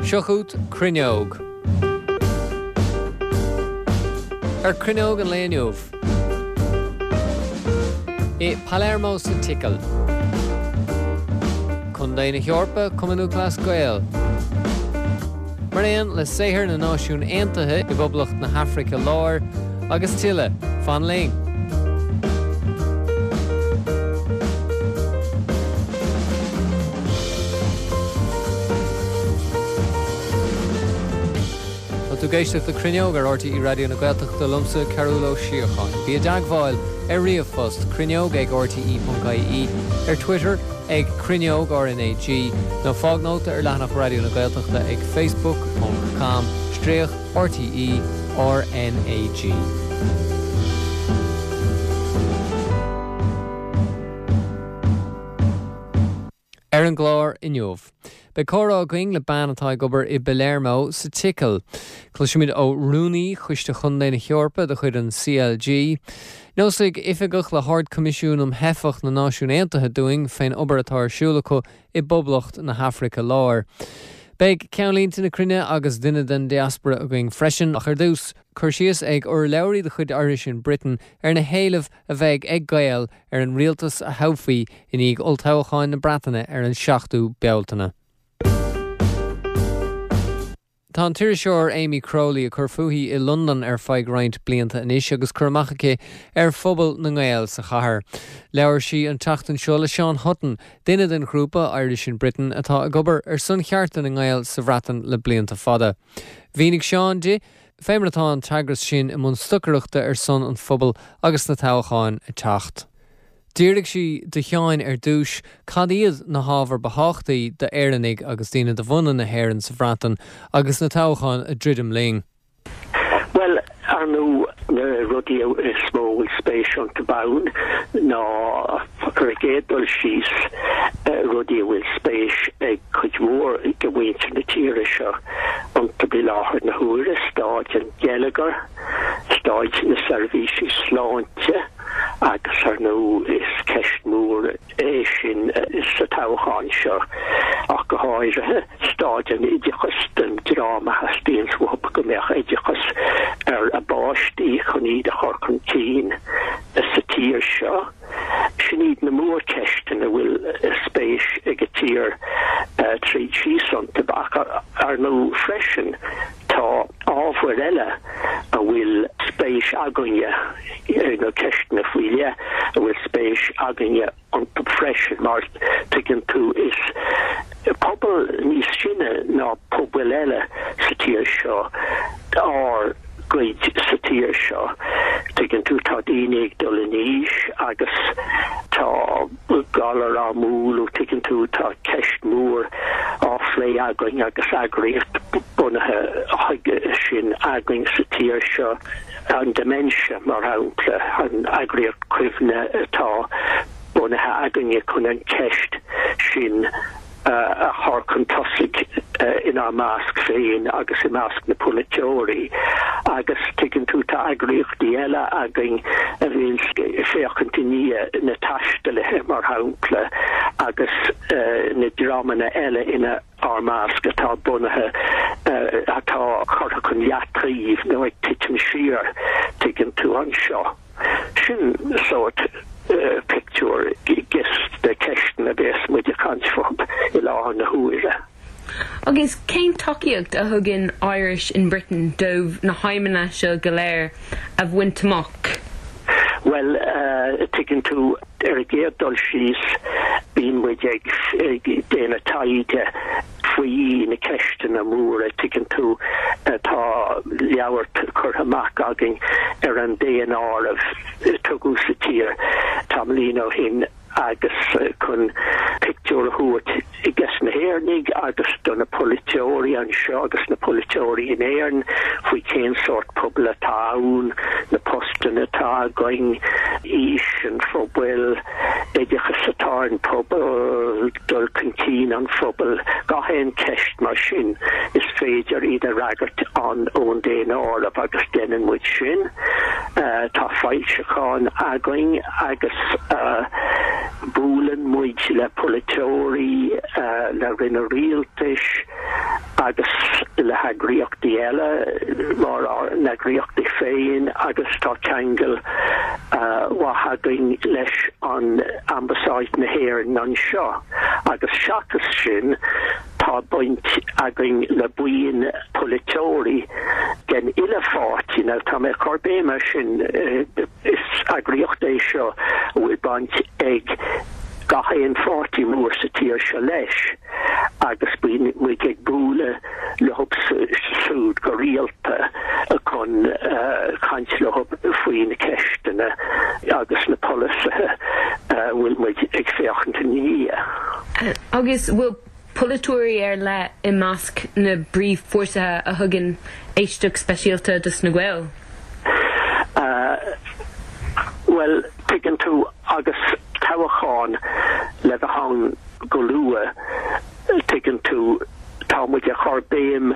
Seo chugat Cruinneog. Ar Cruinneog an lae inniu. I Palermo sa tSicil. Contae na hEorpa, Cumann Lúthchleas Gael. Mar aon le saothar na Náisiún Aontaithe i bPoblacht na hAfraice Láir agus tuilleadh. Fan linn! Tá tú ag éisteacht le Cruinneog ar RTÉ Raidió na Gaeltachta liomsa, Cearbhall Ó Síocháin. Bí i dteagmháil ar ríomhphost, cruinneog ag rte.ie, ar Twitter ag Cruinneog RnaG, nó fág nóta ar leathanach Raidió na Gaeltachta ag facebook ponc com stríoc RTÉ RnaG. Ar an gclár inniu, beidh comhrá againn le bean atá ag obair i bPalermo sa tSicil. Cloisfimid ó Rúnaí Choiste Chontae na hEorpa de chuid an CLG. Neosfaidh oifigeach le hArd-Choimisiún um Theifeach na Náisiún Aontaithe dúinn fén obair atá ar siúl acu i bPoblacht na hAfraice Láir. Beidh Ceannlínte na Cruinne agus duine den diaspora againn freisin, ach ar dtús, cur síos ag urlabhraí de chuid Irish in Britain ar na héilimh a bheidh ag Gaeil ar an rialtas a thoghfaí i ndiaidh olltoghcháin na Breataine ar an 7ú Bealtaine. Tá an t-iriseoir Amy Crowley ag cur fúithi i Londain ar feadh roinnt blianta anois agus cur amach aici ar phobal na nGael sa chathair. Labhair sí an tseachtain seo le Seán Hutton, duine den ghrúpa Irish in Britain atá ag obair ar son chearta na nGael sa Bhreatain le blianta fada. Mhínigh Seán di fé mar atá an t-eagras sin i mbun stocaireachta ar son an phobail agus na toghcháin ag teacht. D'fhiafraigh sí de Sheáin ar dtús cad iad na hábhair ba thábhachtaí d'Éireannaigh agus daoine de bhunadh na hÉireann sa Bhreatain agus na toghcháin ag druidim linn. Bhuel, ar ndóigh, na rudaí is mó a bhfuil spéis iontu ann ná, ar an gcéad dul síos, rudaí a bhfuil spéis ag cuid mhór de mhuintir na tíre seo iontu i láthair na huaire, staid an gheilleagair, staid na seirbhísí sláinte agus, ar ndóigh, is ceist mhór é sin sa toghchán seo ach go háirithe, staid an oideachais don dream a theastaíonns uathu go mbeadh oideachas ar a bpáistí chun iad a chur chun cinn sa tír seo. Sin iad na mórcheisteanna a bhfuil spéis ag an tír tríd síos iontu. Ach ar ndóigh freisin tá ábhair eile a bhfuil spéis againne, nó ceisteanna faoi leith a bhfuil spéis againne iontu freisin mar tuigeann tú is pobal níos sine ná pobail eile sa tír seo ár gcuid sa tír seo. Tuigeann tú tá daoine ag dul in aois agus tá galair á mbualadh, tuigeann tú tá ceist mhór á phlé againn agus eagraíocht bunaithe chuige sin againn sa tír seo. An dementia, mar shampla, an eagraíocht cuimhne atá bunaithe againne chun an cheist sin a chur chun tosaigh inár measc féin agus i measc na polaiteoirí. Agus tuigeann tú, tá eagraíochtaí eile againn a bhíonn ag féachaint i ndiaidh na taistealaithe, mar shampla, agus na dreamanna eile ina. ár measc atá bunaithe, atá curtha chun leataoibh nó ag titim siar, tuigeann tú, anseo. Sin sórt pictiúr des na ceisteanna a bhéas muid ag caint fúthu i láthair na huaire. Agus cén tacaíocht a thugann Irish in Britain dóibh na haidhmeanna seo go léir a bhaint amach? Bhuel, tuigeann tú, Ar an gcéad dul síos, bíonn muid ag déanamh taighde faoi na ceisteanna móra, tuigeann tú. Tá leabhar curtha amach againn ar an daonáireamh a tugadh sa tír tamaillín ó shin agus chun pictiúr a thabhairt des na hÉireannaigh agus do na polaiteoirí anseo agus na polaiteoirí in Éirinn faoi cén sórt pobail atá ann, na postanna atá againn, aois an phobail, oideachas atá ar an pobal, dul chun cinn an phobail, gach aon cheist mar sin is féidir iad a fhreagairt an ón daonáireamh agus déanann muid sin. Tá foilseacháin againn agus. Buaileann muid le polaiteoirí, le ranna rialtais. Agus le heagraíochtaí eile mar ár n-eagraíochtaí féin agus tá ceangal mhaith againn leis an Ambasáid na hÉireann anseo. Agus seachas sin tá baint againn le buíon polaiteoirí den uile pháirtí, now tá mé ag cur béim air sin, is eagraíocht é seo a bhfuil baint ag gach aon pháirtí mór sa tír seo leis agus bíonn muid ag bualadh leo siúd go rialta chun caint leo faoi na ceisteanna agus na polasaithe a bhfuil muid ag féachaint ina dhiaidh. Agus bhfuil polaiteoirí ar leith i measc na bpríomhpháirtithe a thugann éisteacht speisialta dos na Gaeil? Bhuel, tuigeann tú, agus toghchán le bheith ann go luath, tuigeann tú, tá muid ag cur béim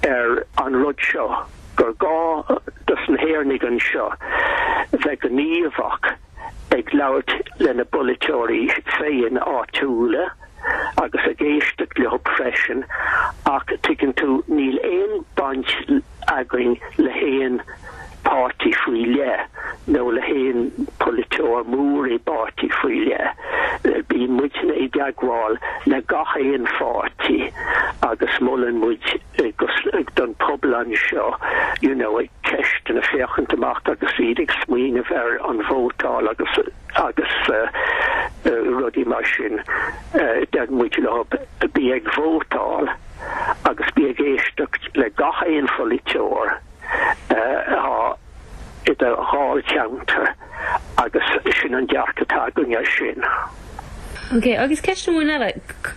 ar an rud seo, gur gá dos na hÉireannaigh anseo bheith gníomhach ag labhairt lena bpolaiteoirí féin áitiúla agus ag éisteacht leo freisin ach tuigeann tú, níl aon baint againn le haon páirtí faoi leith nó le haon polaiteoir mór i bpáirtí faoi leith. Bíonn muidne i dteagmháil le gach aon pháirtí agus molann muid don pobal anseo you know ag ceisteanna féachaint amach agus iad ag smaoineamh ar an vótáil agus agus rudaí mar sin. Deir muid leo bí ag vótáil agus bí ag éisteacht le gach aon pholaiteoir atá i do dháilcheantar agus sin an dearcadh atá againn air sin. Ok, agus ceist amháin eile,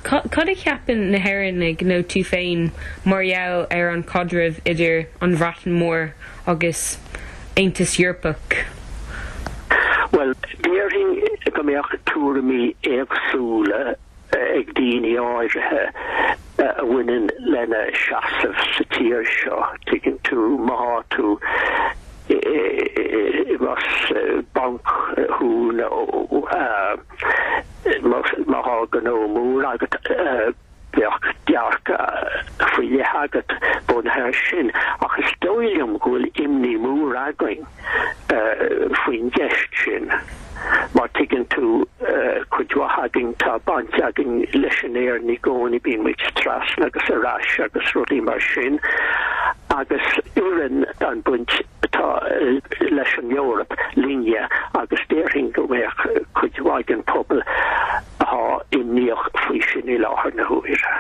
cad a cheapann na hÉireannaigh nó tú féin mar gheall ar an chaidreamh idir an Bhreatain Mhór agus Aontas Eorpach? Bhuel, déarfainn go mbeadh tuairimí éagsúla ag daoine áirithe a bhaineann lena seasamh sa tír seo, tuigeann tú, má tá tú más banc thú nó má tá gnó mór agat, bheadh dearcadh faoi leith agat bunaithe air sin. Ach is dóigh liom go bhfuil imní mór againn faoin gceist sin. Mar tuigeann tú, cuid mhaith againn, tá baint againn leis an Éirinn i gcónaí, bíonn muid trasna agus ar ais agus rudaí mar sin, agus oireann an baint atá leis an Eoraip linne agus déarfainn go mbeadh cuid mhaith den pobal atá imníoch faoi sin i láthair na huaire.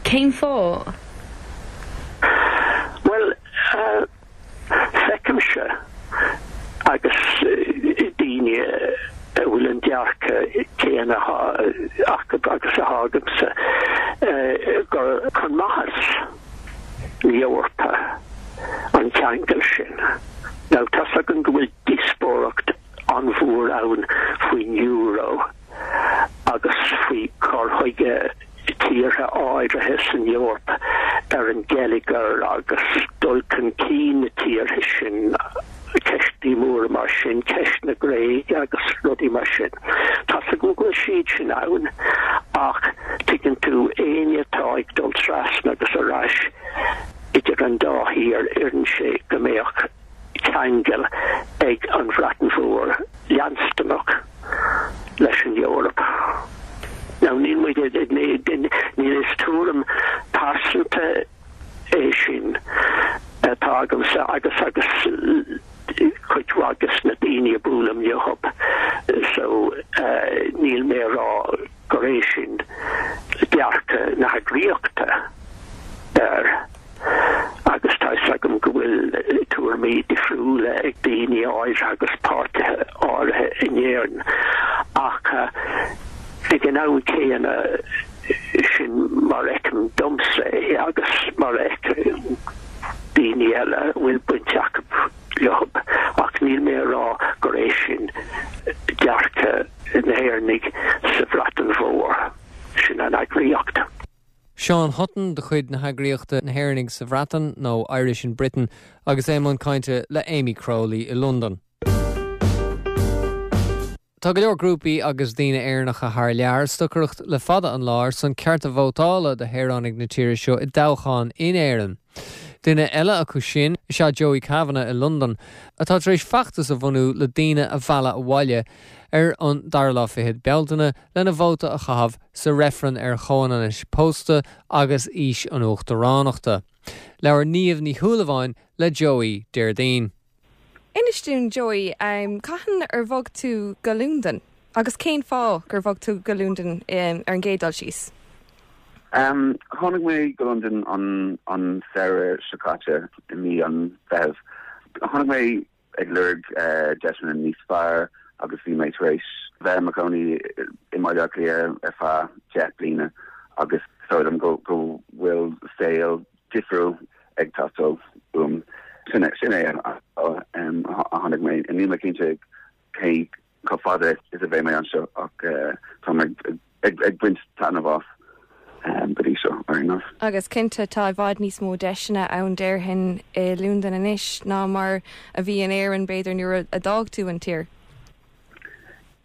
Cén fáth? Bhuel, Feicimse, agus daoine a bhfuil an dearcadh céanna acu agus atá agamsa, gur chun maitheas na hEorpa an ceangal sin. Now, tá's againn go bhfuil díospóireacht an-mhór ann faoin euro agus faoi chur chuige tíortha áirithe san Eoraip ar an geilleagar agus dul chun cinn na tíortha sin, ceistí móra mar sin, ceist na Gréige agus rudaí mar sin. Tá's agam go bhfuil siad sin ann ach tuigeann tú, éinne atá ag dul trasna agus ar ais idir an dá thír, oireann sé go mbeadh ceangal ag an Bhreatain Mhór leanstanach leis an Eoraip. Now níl muid níl is tuairim pearsanta é sin atá agamsa agus agus cuid mhaith des na daoine a buailim leo so níl mé a rá gur é sin dearcadh na heagraíochta air agus tá fhios agam go bhfuil tuairimí difriúla ag daoine áirithe agus páirtithe áirithe in Éirinn ach ag an am céanna sin mar a fheicim domsa é agus mar a fheiceann daoine eile a bhfuil baint acu leo ach níl mé a rá gur é sin dearcadh na hÉireannaigh sa Bhreatain Mhór. Sin an eagraíocht. Seán Hutton de chuid na heagraíochta Na hÉireannaigh sa Bhreatain, nó Irish in Britain, agus é i mbun cainte le Amy Crowley i Londain. Tá go leor grúpaí agus daoine Éireannacha thar lear ag stocaireacht le fada an lá ar son cearta vótála do shaoránaigh na tíre seo i dtoghcháin in Éirinn. Duine eile acu sin is ea Joey Kavanagh i Londain, atá tar éis feachtas a bhunú le daoine a mhealladh abhaile ar an dara lá fichead Bealtaine lena vóta a chaitheamh sa reifreann ar chomhionannas pósta agus aois an uachtaránachta. Labhair Niamh Ní Shúilleabháin le Joey Déardaoin. Inis dúinn, Joey, cathain ar bhog tú go Londain agus cén fáth gur bhog tú go Londain ar an gcéad dul síos? Tháinig mé go Londain an samhradh seo caite, i mí an Mheithimh. Tháinig mé ag lorg deiseanna níos fearr agus bhí mé tar éis bheith i mo chónaí i mBaile Átha Cliath ar feadh 10 bliana agus is dóigh liom go bhfuil saol difriúil ag teastáil uaim. Sin é sin é an fáth a tháinig mé. Níl mé cinnte cé chomh fada is a bheidh mé anseo ach tá mé ag baint taitneamh as go dtí seo, ar aon nós. Agus cinnte tá i bhfad níos mó deiseanna ann déarfainn i Londain anois ná mar a bhí in Éirinn b'fhéidir nuair a d'fhág tú an tír.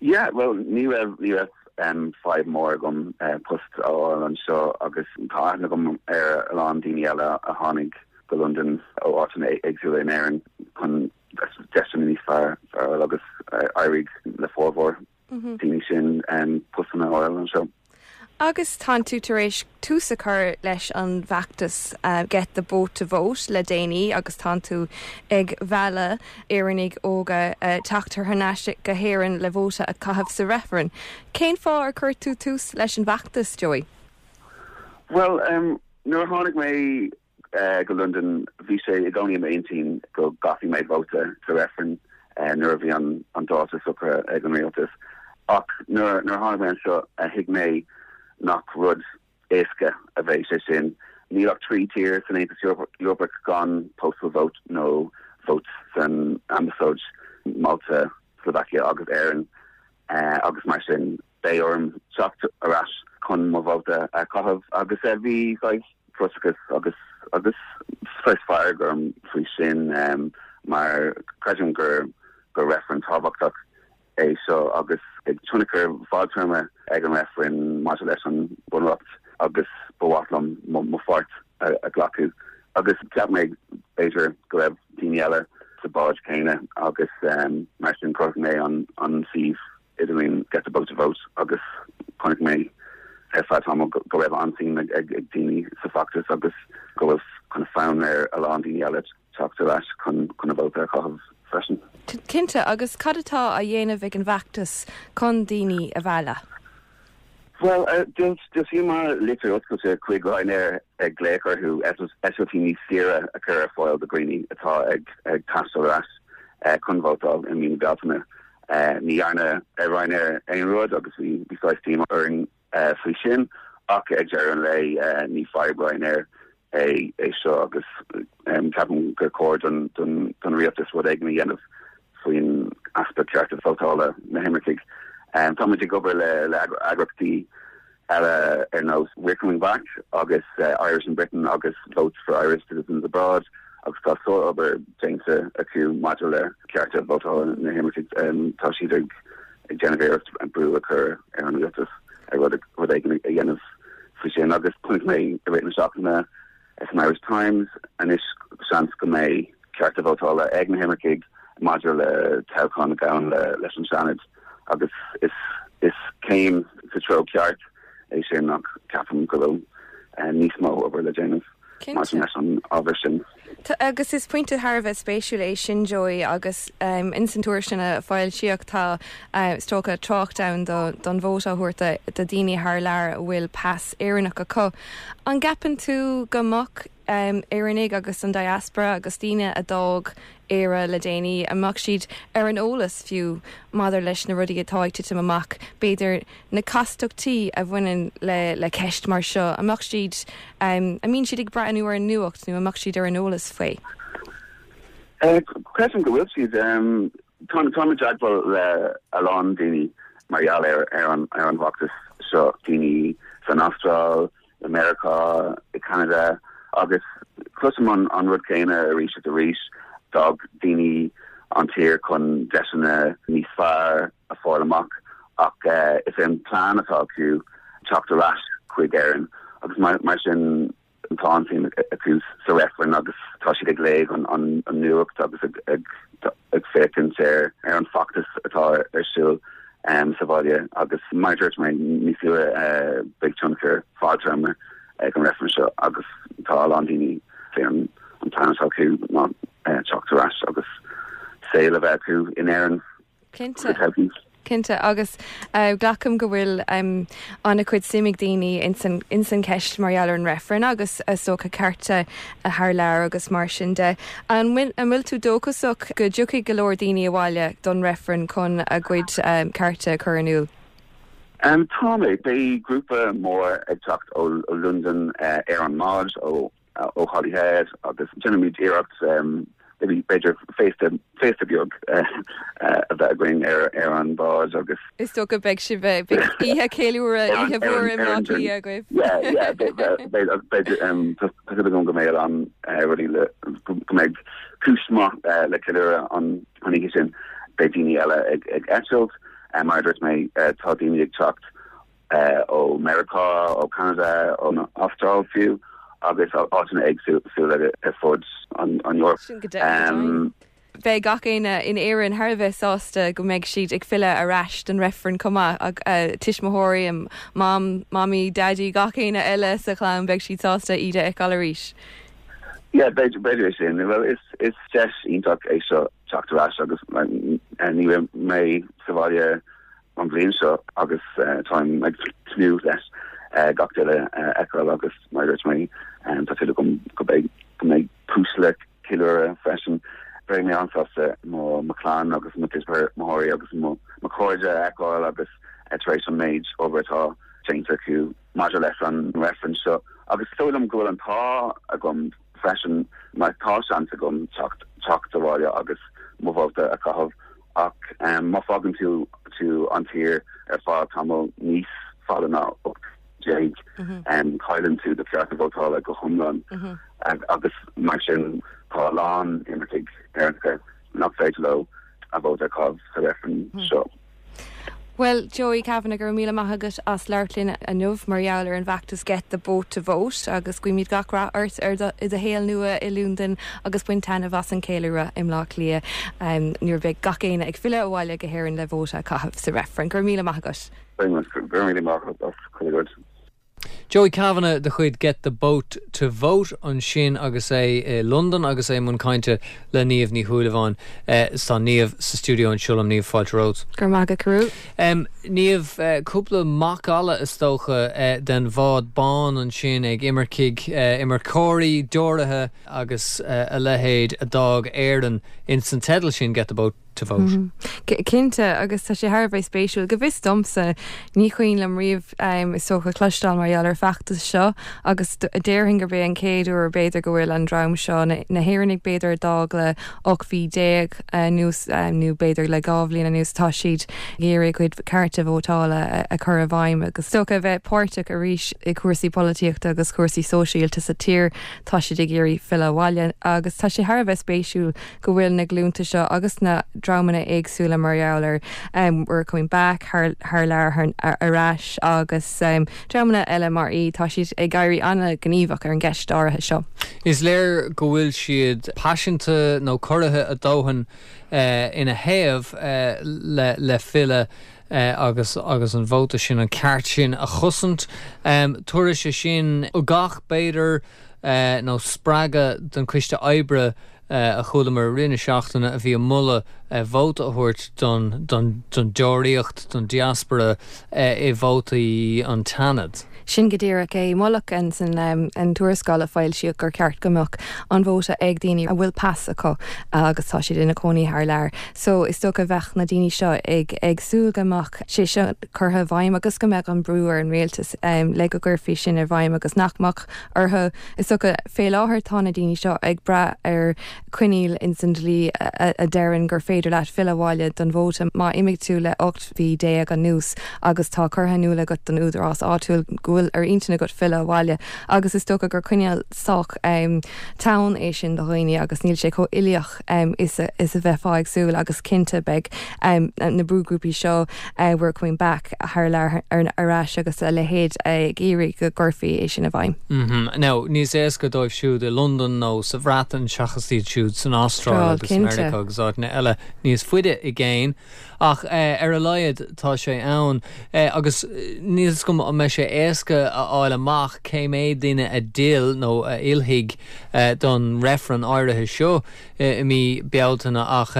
Yeah, bhuel ní raibh, ní raibh fadhb mór agam post a fháil anseo agus tá aithne agam ar a lán daoine eile a tháinig go Londain ó áiteanna éagsúla in Éirinn chun deiseanna níos fearr a fháil agus d'éirigh le formhór daoine sin postanna a fháil anseo. Agus tánn tú tar éis tús a chur leis an bhfeachtas Get the Boat to Vote le déanaí agus tánn tú ag mealladh Éireannaigh óga teacht thar n-ais go hÉirinn le vóta a chaitheamh sa reifreann. Cén fáth ar chuir tú tús leis an bhfeachtas, Joey? Bhuel, nuair a tháinig mé go Londain, bhí sé i gcónaí i m'intinn go gcaithfidh mé vóta sa reifreann nuair a bhí an dáta socraithe ag an rialtas. Ach nuair a tháinig mé anseo, thuig mé nach rud éasca a bheidh sé sin. Níl ach 3 tír san Aontas Eorpach gan postal vote nó vote san ambasáid, Malta, Slovakia agus Éirinn, agus mar sin beidh orm teacht ar ais chun mo vóta a chaitheamh agus bhí saghas frustrachas agus agus saghas fearg orm faoi sin mar creidim gur gur reifreann tábhachtach é seo agus beidh tionchar fadtéarma ag an reifreann maidir leis an Bunreacht agus ba mhaith liom mo pháirt a ghlacadh agus cheap mé b'fhéidir go raibh daoine eile sa bád céanna agus mar sin chruthaigh mé an suíomh idirlín Get the Boat to Vote agus chonaic mé ar feadh tamaill go raibh an-suim ag daoine sa bhfeachtas agus go bhfuil kind of fonn ar a lán daoine eile teacht ar ais chun a vóta a chaitheamh freisin. Cinnte, agus cad atá á dhéanamh ag an bhfeachtas chun daoine a mhealladh? Bhuel, d'fhoilsíomar litir oscailte chuig Ryanair ag glaoch orthu eitiltí níos saoire a chur ar fáil do dhaoine atá ag taisteal ar ais chun vótáil i mí na Bealtaine. Ní dhearna Ryanair aon rud agus bhí saghas díomá orainn faoi sin ach ag deireadh an lae ní fadhb Ryanair é é seo agus ceapaim gur chóir don rialtas rud éigin a dhéanamh faoin easpa cearta vótála na himircigh. Táimid ag obair le eagraíochtaí eile ar nós We're Coming Back agus Irish in Britain agus Votes for Irish Citizens Abroad agus tá sár-obair déanta acu maidir le cearta vótála na himircigh. Tá siad ag déanamh iarracht brú a chur ar an rialtas rud éigin a dhéanamh faoi sin agus chonaic mé i rith na seachtaine san Irish Times anois seans go mbeidh cearta vótála ag na himircigh maidir le toghchán a ghabhann leis an Seanad agus is is céim sa treo ceart é sin ach ceapaim go bhfuil níos mó obair le déanamh. maidir leis an ábhar sin. Agus is pointe thar a bheith spéisiúil é sin, Joey, agus ins an tuairisc sin a foilsíodh tá, is dócha, trácht ann don vóta a thabhairt do dhaoine thar lear a bhfuil pas Éireannach acu. An gceapann tú go mbeadh Éireannaigh agus an diaspora agus daoine a d'fhág Éire le déanaí, an mbeadh siad ar an eolas fiú maidir leis na rudaí atá ag titim amach, b'fhéidir na castachtaí a bhaineann le le ceist mar seo, an mbeadh siad, an mbíonn siad ag breathnú ar an nuacht nó an mbeadh siad ar an eolas faoi? Creidim go bhfuil siad. Táim i dteagmháil le a lán daoine mar gheall ar an ar an bhfeachtas seo, daoine san Astráil, i Meiriceá, i Ceanada agus cloisim an rud céanna arís is arís, d'fhág daoine an tír chun deiseanna níos fearr. a fáil amach ach is é an plean atá acu teacht ar ais chuig Éirinn agus mar sin tá an-suim acu sa reifreann agus tá siad ag léamh an nuacht agus ag féachaint ar an feachtas atá ar siúl sa bhaile agus mar a dúirt mé níos luaithe beidh tionchar fadtéarma ag an reifreann seo agus tá a lán daoine fé an plean atá acu ná teacht ar ais agus saol a bheith acu in Éirinn. Cinnte. Cinnte, agus glacaim go bhfuil an-chuid suim ag daoine ins an cheist mar gheall ar an reifreann agus is dócha cearta thar lear agus mar sin de. An bhfuil tú dóchasach go dtiocfaidh go leor daoine abhaile don reifreann chun a gcuid cearta a chur in iúl? Tá mé. Beidh grúpa mór ag teacht ó Londain ar an mbád ó ó Holyhead agus déanfaimid iarracht b'fhéidir féasta féasta beag a bheith againn ar ar an bhád agus. Is dócha beidh sibh beidh oíche ceiliúradh oíche mhór i mBleá Cliath agaibh. Yeah yeah beidh beidh tá súil agam go mbeidh a lán rudaí le go mbeidh cúis maith le ceiliúradh an an oíche sin. Beidh daoine eile ag ag eitilt mar a dúirt mé tá daoine ag teacht ó Meiriceá, ó Ceanada, ón Astráil fiú, agus áiteanna éagsúla ar fud an Eoraip. Sin go deimhin. Beidh gach éinne in Éirinn thar a bheith sásta go mbeidh siad ag filleadh ar ais don reifreann chomh maith, tuismitheoirí, mam, mamaí, daidí, gach éinne eile sa chlann, beidh siad sásta iad a fheiceáil arís. Yeah, b'fhéidir é sin. Bhuel, is deis iontach é seo teacht ar ais agus ní raibh mé sa bhaile an bhliain seo agus táim ag tnúth leis gach duine a fheiceáil agus mar a dúirt mé tá súil agam go mbeidh go mbeidh cúis le ceiliúradh freisin. Beidh mé an-sásta mo mo chlann agus mo thuismitheoirí agus mo mo chairde a fheiceáil agus tar éis an méid obair atá déanta acu maidir leis an reifreann seo agus is dóigh liom go bhfuil an t-ádh agam freisin mar tá seans agam teacht teacht abhaile agus mo vóta a chaitheamh Ach má fágann tú tú an tír ar feadh tamall níos fada ná 18 cailleann tú do chearta vótála go hiomlán agus mar sin tá a lán imircigh Éireannacha nach féidir leo a vóta a chaitheamh sa reifreann seo. Bhuel, Joey Kavanagh, go raibh míle maith agat as labhairt linn inniu mar gheall ar an bhfeachtas Get the Boat to Vote agus guímid gach rath ort ar do, i do shaol nua i Londain agus bain taitneamh as an cheiliúradh i mBleá Cliath nuair a bheidh gach éinne ag filleadh abhaile go hÉirinn le vóta a chaitheamh sa reifreann. Go raibh míle maith agat. Go raibh míle maith agat as chuile rud. Joey Kavanagh de chuid Get the Boat to Vote ansin agus é i Londain agus é i mbun cainte le Niamh Ní Shúilleabháin. Is tá Niamh sa stiúideo anseo liom. Niamh, fáilte romhat. Go raibh maith agat, a Charúil. Niamh, cúpla macalla is dócha den bhád bán ansin ag imircigh, imirceoirí, deoraithe agus a leithéid a d'fhág Éirinn ins an teideal sin, Get the Boat. to vote. Cinnte, agus tá sé thar a bheith spéisiúil. Go bhfios domsa, ní cuimhin liom riamh, is dócha, cloisteáil mar gheall ar feachtas seo agus déarfainn gurb é an chéad uair b'fhéidir go bhfuil an dream seo, na hÉireannaigh b'fhéidir a d'fhág le 18 mhí anuas nó b'fhéidir le 2 bhliain anuas, tá siad ag iarraidh a gcuid cearta vótála a chur i bhfeidhm agus is dócha a bheith páirteach arís i gcúrsaí polaitíochta agus cúrsaí sóisialta sa tír. Tá siad ag iarraidh filleadh abhaile agus tá sé thar a bheith spéisiúil go bhfuil na glúnta seo agus na dreamanna éagsúla mar gheall ar We're Coming Back, thar lear, ar ais agus dreamanna eile mar í, tá siad ag éirí an-ghníomhach ar an gceist áirithe seo. Is léir go bhfuil siad paiseanta nó corraithe a ndóthain ina thaobh le filleadh agus agus an vóta sin, an ceart sin a chosaint. Tabharfaidh sé sin ugach, b'fhéidir, nó spreagadh don Choiste Oibre a chualamar i rith na seachtaine a bhí ag moladh vóta a thabhairt don don deoraíocht, don diaspora i vótaí an tSeanaid. Sin go díreach é. Moladh ins an tuarascáil a foilsíodh gur ceart go mbeadh an vóta ag daoine a bhfuil pas acu agus tá siad ina cónaí thar lear. So is dócha bheadh na daoine seo ag ag súil go mbeadh sé seo curtha i bhfeidhm agus go mbeadh an brú ar an rialtas le go gcuirfí sin i bhfeidhm agus nach mbeadh orthu. Is dócha, fé láthair tá na daoine seo ag brath ar choinníoll ins an dlí a deireann gur féidir leat filleadh abhaile don vóta má imigh tú le 18 mhí anuas agus tá curtha in iúl agat don údarás áitiúil go bhfuil. bhfuil ar intinn agat filleadh abhaile agus is dócha gur coinníoll sách teann é sin do dhaoine agus níl sé chomh uilíoch is a bheifeá ag súil agus cinnte beidh na brúghrúpaí seo We're Coming Back thar lear ar ais agus a leithéid ag iarraidh go gcuirfí é sin i bhfeidhm. Now, níos éasca dóibh siúd i Londain nó sa Bhreatain seachas iad siúd san Astráil agus i Meiriceá agus áiteanna eile níos faide i gcéin. Ach ar a laghad tá sé ann. Agus níl 'fhios agam an mbeidh sé éasca a fháil amach cé mhéad duine a d'fhill nó a fhillfidh don reifreann áirithe seo i mí Bealtaine ach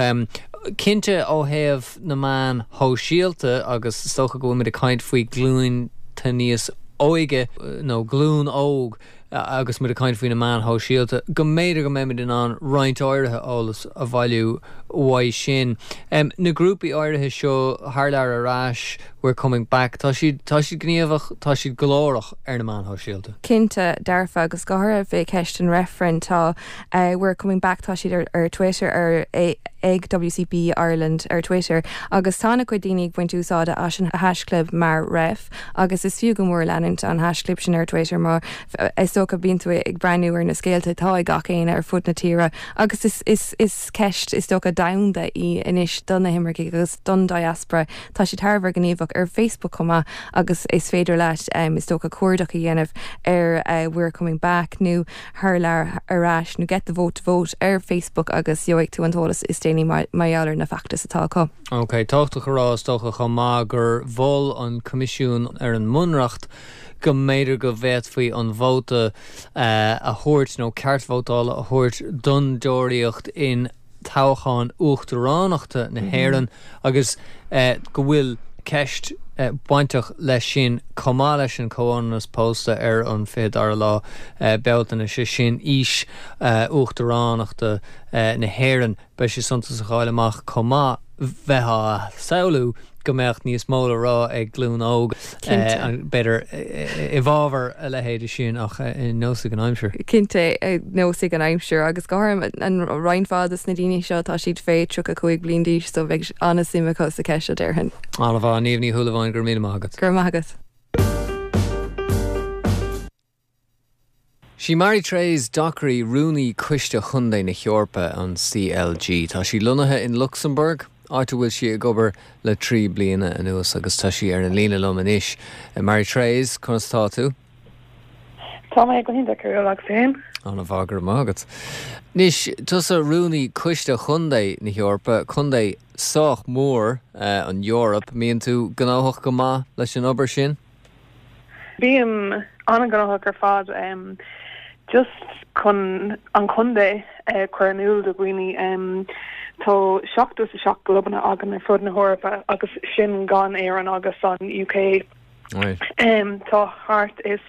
cinnte ó thaobh na meáin shóisialta agus is dócha go bhfuilimid ag caint faoi ghlúnta níos óige nó glúin óg agus muid ag caint faoi na meáin shóisialta, go mb'fhéidir go mbeimid in ann roinnt áirithe eolas a bhailiú uaidh sin. Na grúpaí áirithe seo, Thar Lear Ar Ais, We're Coming Back, tá siad, tá siad gníomhach, tá siad glórach ar na meáin shóisialta. Cinnte, dearfa, agus go háirithe fé cheist an reifrinn, tá We're Coming Back, tá siad ar ar Twitter, ar ag WCB Ireland ar Twitter, agus tá ana-chuid daoine ag baint úsáide as an haischlib mar ref. Agus is fiú go mór leanúint an haischlib sin ar Twitter mar is dócha bíonn tú ag breathnú ar na scéalta atá ag gach éinne ar fud na tíre agus is is is ceist is dócha domhanda í anois do na himircigh agus don diaspora. Tá siad thar a bheith gníomhach ar Facebook chomh maith agus is féidir leat is dócha cuardach a dhéanamh ar We're Coming Back nó Thar Lear Ar Ais nó Get the Vote to Vote ar Facebook agus gheobhaidh tú an t-eolas is déanaí mar gheall ar na feachtais atá acu. Ok, tábhachtach a rá is dócha chomh maith gur mhol an Coimisiún ar an mBunreacht go mb'fhéidir go bhféadfaí an vóta a thabhairt nó ceart vótála a thabhairt don deoraíocht in toghchán uachtaránachta na hÉireann agus go bhfuil ceist bainteach leis sin chomh maith leis an chomhionannas pósta ar an 22ú lá Bealtaine, sé sin aois uachtaránachta na hÉireann. Beidh sé suntasach a fháil amach chomh maith, bheith á samhlú go mbeadh níos mó le rá ag glúin óg, b'fhéidir, i bhfabhar a leithéide sin ach neosfaidh an aimsir. Cinnte, neosfaidh an aimsir agus go háirithe an roinnt mhaith de na daoine seo, tá siad fé 35 bliain d'aois so beidh an-suim acu sa cheist seo déarfainn. An-mhaith, Niamh Ní Shúilleabháin, go raibh míle maith agat. Go raibh maith agat. Sí Marie-Thérèse Dockery Rúnaí Coiste Chontae na hEorpa, an CLG. Tá sí lonnaithe in Lucsamburg, áit a bhfuil sí ag obair le 3 bliana anuas agus tá sí ar an líne liom anois. Marie-Thérèse, conas tá tú? Tá mé go hiontach, agus tú féin? An-mhaith, go raibh maith agat. Anois, tusa Rúnaí Coiste Chontae na hEorpa, contae sách mór, an Eoraip. Mbíonn tú gnóthach go maith leis an obair sin? Bím an-ghnóthach ar fad just chun an contae a chur in iúl do dhaoine. Tá 77 gclubanna againn ar fud na hEorpa agus sin gan Éirinn agus an UK. Tá thart is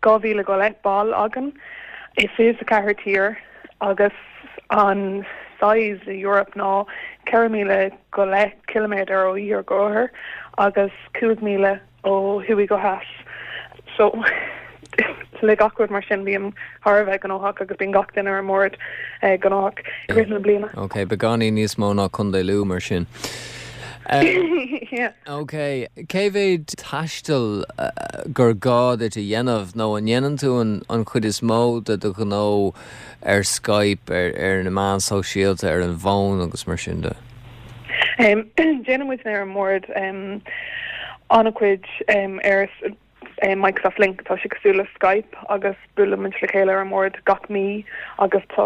2,000 go leith ball againn i 24 tír agus an size de Europe ná 4,000 go leith ciliméadar ó iarthar go oirthear agus 5,000 ó thuaidh go theas. So le gach rud mar sin bím thar a bheith gnóthach agus bíonn gach duine ar an mbord gnóthach i rith na bliana. Ok, beagáinín níos mó ná Contae Lú mar sin. Ok, cé mhéad taistil gur gá duit a dhéanamh nó an ndéanann tú an chuid is mó de do ghnó ar Skype, ar na meáin shóisialta, ar an bhfón agus mar sin de? Déanann muid ar an mbord an-chuid ar Microsoft Lync, tá sé cosúil le Skype agus buaileann muid le chéile ar an mbord gach mí agus tá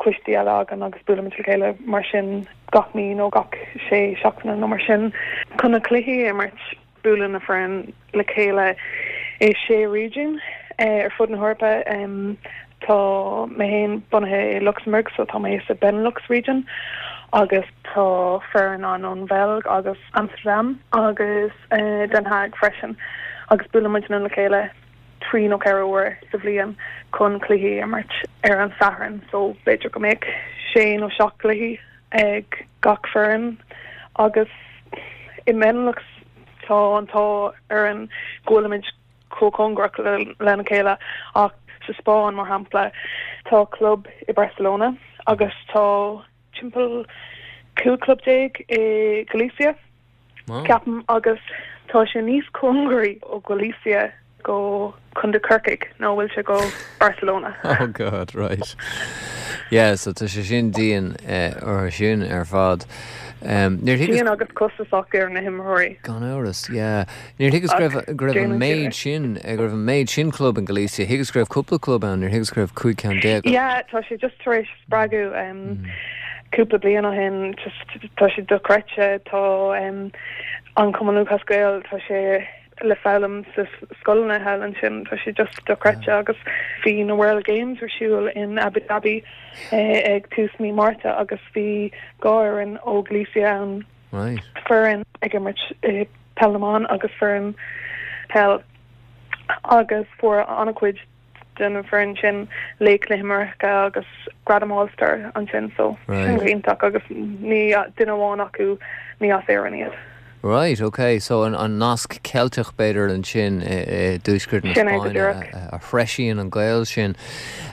coistí eile againn agus buaileann muid le chéile mar sin gach mí nó gach sé seachtaine nó mar sin. Chun na cluichí a imirt, buaileann na foireann le chéile i sé réigiún ar fud na hEorpa. Tá mé féin bunaithe i Lucsamburg so tá mé sa Benelux region agus tá foireann ann ón Bheilg agus Amsterdam agus Den Haag freisin agus buaileann muidne le chéile trí nó ceithre huair sa bhliain chun cluichí a imirt ar an Satharn so b'fhéidir go mbeadh sé nó seacht gcluichí ag gach foireann agus i mBenelux tá an t-ádh orainn go bhfuilimid chomh cóngarach lena chéile ach sa Spáinn mar shampla tá club i Barcelona agus tá timpeall 15 club i Galicia, ceapaim, agus tá sé níos cóngaraí ó Galicia. go Contae Corcaigh nó an bhfuil sé go Barcelona? Oh God, right. Yeah, so tá sé sin dian orthu sin ar fad. Níor thuigeas. Dian agus costasach ar na himreoirí. Gan amhras, yeah. Níor thuigeas go raibh, go raibh an méid sin, go raibh an méid sin club in Galicia. Thuigeas go raibh cúpla club ann, níor thuigeas go raibh 15 ceann. Yeah, tá sé just tar éis spreagadh cúpla bliain ó shin, just tá sé dochreidte, tá an Cumann Lúthchleas Gael, tá sé le foghlaim sa scoileanna thall ansin. Tá sé just dochreidte agus bhí na World Games ar siúl in Abu Dhabi ag tús mí Márta agus bhí 2 fhoireann ó Galicia ann, foireann ag imirt peil na mban agus foireann peil agus fuair an-chuid den bhfoireann sin laoch na himeartha agus gradam All Star ansin so sin go hiontach agus ní duine amháin acu ní as Éirinn iad. Right, ok, so an nasc Ceilteach b'fhéidir ansin i dtuaisceart na Spáinne a threisíonn an gaol sin.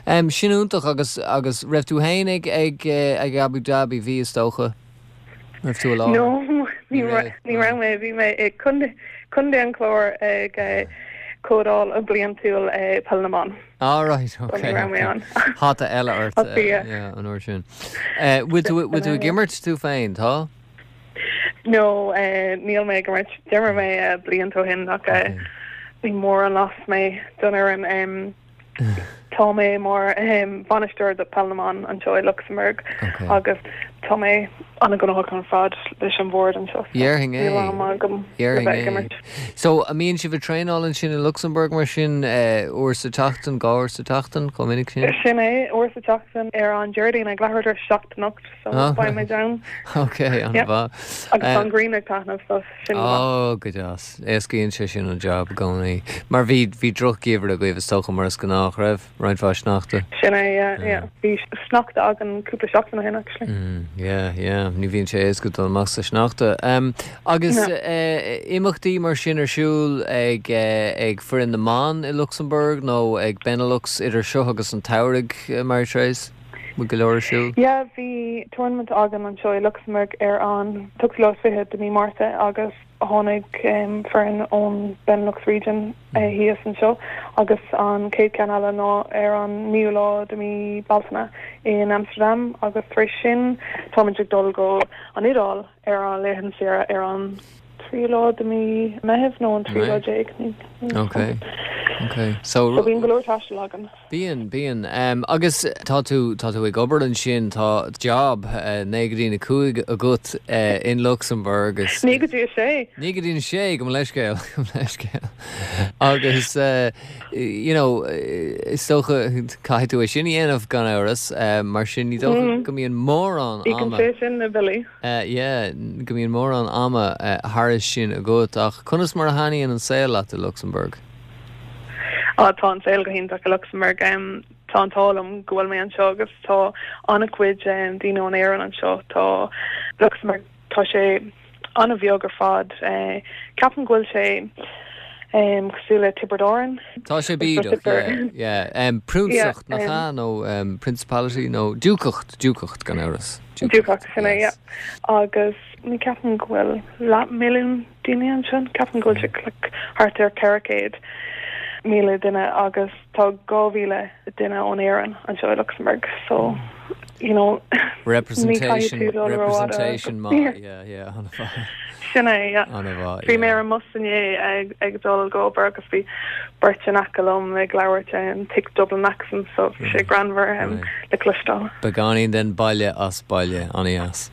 Sin iontach agus agus raibh tú féin ag ag ag Abu Dhabi, bhí is dócha? Raibh tú i láthair? No, ní raibh mé, bhí mé i Contae an Chláir ag comhdháil bliantúil Peil na mBan. Ah right, ok. Ní raibh mé ann. Hata eile ort an uair sin. Bhfuil tú bhfuil tú ag imirt tú féin, tá? No, níl mé ag imirt. D'imir mé blianta ó shin ach ní mór an loss mé don fhoireann. Tá mé mar bhainisteoir do Peil na mBan anseo i Lucsamburg agus tá mé an-ghnóthach ar fad leis an bhord anseo. Déarfainn é. Níl am agam le bheith ag imirt. So, an mbíonn sibh ag traenáil ansin i Lucsamburg mar sin uair sa tseachtain, 2 uair sa tseachtain, chomh minic sin? Sin é, uair sa tseachtain ar an Déardaoin ag leathuair tar éis a 7 anocht so beidh muid ann. Ok, an-mhaith. Agus tá an ghrian ag taitneamh so sin go maith. Ó, go deas. Éascaíonn sé sin an jab i gcónaí. Mar bhí, bhí drochgheimhreadh agaibh is dócha mar is gnách, raibh? Roinnt mhaith sneachta. Sin é, yeah, yeah. Bhí sneachta againn cúpla seachtain ó shin actually. Mm, yeah, yeah. Ní bhíonn sé éasca dul amach sa sneachta. Um, agus No. eh, imeachtaí mar sin ar siúl ag, eh, ag foireann na mban i Lucsamburg nó ag Benelux idir seo agus an tsamhraidh, eh, Marie-Therese? Bhfuil go leor ar siúl? Yeah, bhí tournament againn anseo i Lucsamburg ar an t-ochtú lá is fiche de mí Márta agus Tháinig foireann ón Benelux Region thíos anseo agus an chéad cheann eile ná ar an naoú lá de mí Bealtaine in Amsterdam agus tar éis sin táimid ag dul go an Iodáil ar an laethanta saoire ar an tríú lá de mí Meitheamh nó an tríú lá déag. Ok, ok. So bíonn go leor taistil againn. Bíonn, bíonn. Agus tá tú, tá tú ag obair ansin, tá job 9 go dtí a 5 agat in Luxembourg agus. 9 go dtí a 6. 9 go dtí a 6, gabh mo leithscéal, gabh mo leithscéal. Agus you know, is dócha, caithfidh tú é sin a dhéanamh gan amhras, mar sin ní dócha go mbíonn mórán ama. Íocann sé sin na billí. Yeah, go mbíonn mórán ama thairis sin agat ach conas mar a thaitníonn an saol leat i Luxembourg? Á, tá an saol go hiontach i Lucsamburg. Tá an t-ádh liom go bhfuil mé anseo agus tá an-chuid daoine ón Éirinn anseo. Tá Lucsamburg, tá sé an-bheag ar fad. Ceapaim go bhfuil sé cosúil le Tiobraid Árann. Tá sé bídeach, yeah, yeah. Priúnsacht, nach ea? Nó principality nó diúcacht, diúcacht gan amhras. Diúcacht, sin é, yeah. Agus ní ceapaim go bhfuil leathmhilliún daoine anseo. Ceapaim go bhfuil sé like thart ar 400,000 duine agus tá 2,000 duine ón Éirinn anseo i Lucsamburg so you know ní caithfidh tú dul rófhada. Representation maith, yeah, yeah, an-mhaith. Sin é, yeah. An-mhaith, Bhí mé ar an mbus inné ag ag dul go obair agus bhí beirt in aice liom ag labhairt in thick Dublin accent so bhí sé greannmhar le cloisteáil. Beagáinín den baile as baile, an-dheas.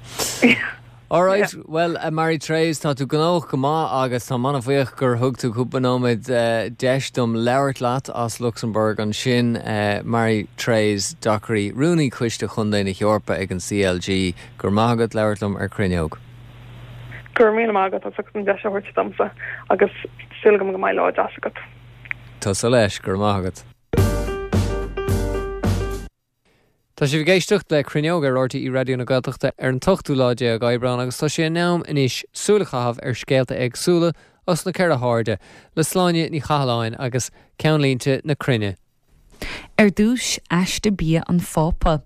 Alright, bhuel a Marie-Therese, tá tú gnóthach go maith agus táim an-bhuíoch gur thug tú cúpla nóiméad deis dom labhairt leat as Lucsamburg ansin. Marie-Therese Dockery, Rúnaí Coiste Chontae na hEorpa ag an CLG, go raibh maith agat labhairt liom ar Cruinneog. Go raibh míle maith agat as ucht an deis a thabhairt domsa agus súil agam go mbeidh lá deas agat. Tusa leis, go raibh maith agat. Tá sibh ag éisteacht le Cruinneog ar RTÉ Raidió na Gaeltachta ar an t-ochtú lá déag Aibreán agus tá sé in am anois súil a chaitheamh ar scéalta éagsúla os na ceithre hairde le Sláine Ní Chathalláin agus Ceannlínte na Cruinne. Ar dtús, aiste bia an Phápa.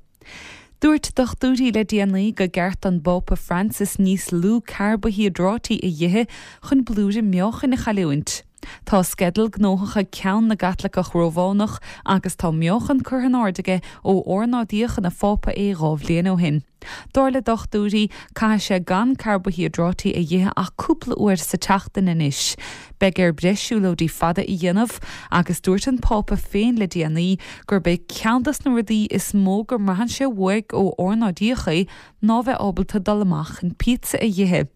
Dúirt dochtúirí le déanaí gur ceart don bPápa Francis níos lú carbaihiodráití a dh'ithe chun blúire meáchain a chailliúint. Tá sceideal gnóthach ag Ceann na gCaitliceach Rómhánach agus tá meáchan curtha in airde aige ó ornáidíodh ina Phápa é 2 bhliain ó shin. Dar le dochtúirí, caithfidh sé gan carbaihiodráití a dh'ithe ach cúpla uair sa tseachtain anois. Beidh air breis siúlóidí fada a dhéanamh agus dúirt an Pápa féin le déanaí gurb é ceann dos na rudaí is mó go mbraitheann sé uaidh ó ornáidíodh é ná bheith ábalta dul amach chun píotsa a dh'ithe.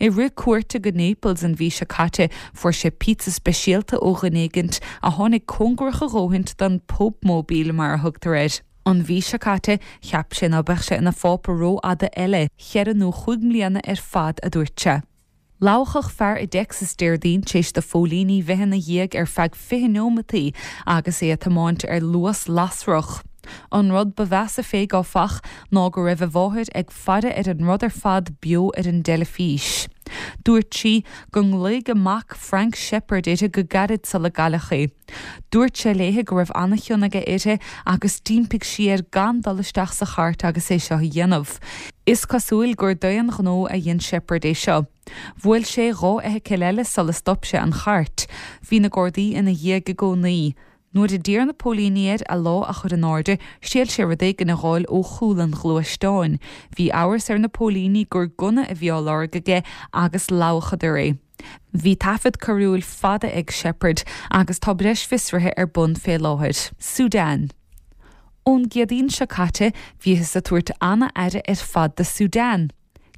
I rith cuairte go Naples an mhí seo caite fuair sé píotsa speisialta ó dhuine éigint a tháinig cóngarach a dhóthaint don Popemobile mar a thugtar air. An mhí seo caite cheap sé ná beadh sé ina phápa rófhada eile, cheithre nó chúig mbliana ar fad a dúirt sé. Ladhachadh fear i dTexas Déardaoin tar éis do phóilíní bheith ina dhiaidh ar feadh 20 neomataí agus é ag tiomáint ar luas lasrach. An rud ba mheasa fé, áfach, ná go raibh a mháthair ag faire ar an rud ar fad beo ar an dteilifís. Dúirt sí go nglaoigh a mac Frank Shepherd uirthi go gairid sula gcailleadh é. Dúirt sé léi go raibh an-chion aige uirthi agus d'impigh sí air gan dul isteach sa chairt agus é seo a dhéanamh. Is cosúil gur d'aon ghnó a dhein Shepherd é seo. Bhuail sé 2 fheithicil eile sula stop sé an chairt. Bhí na Gardaí ina dhiaidh i gcónaí. Nuair a d'iarr na póilíní air a lámh a chur in airde, thriail sé rud éigin a dh'fháil ó chúl an ghluaisteáin. Bhí amhras ar na póilíní gur gunna a bhí á lorg aige agus ladhachadar é. Bhí taifead coiriúil fada ag Shepherd agus tá breis fiosruithe ar bun fé láthair. Sudan. Ón gCéadaoin seo caite, bhíothas ag tabhairt ana-aire ar fad do Sudan.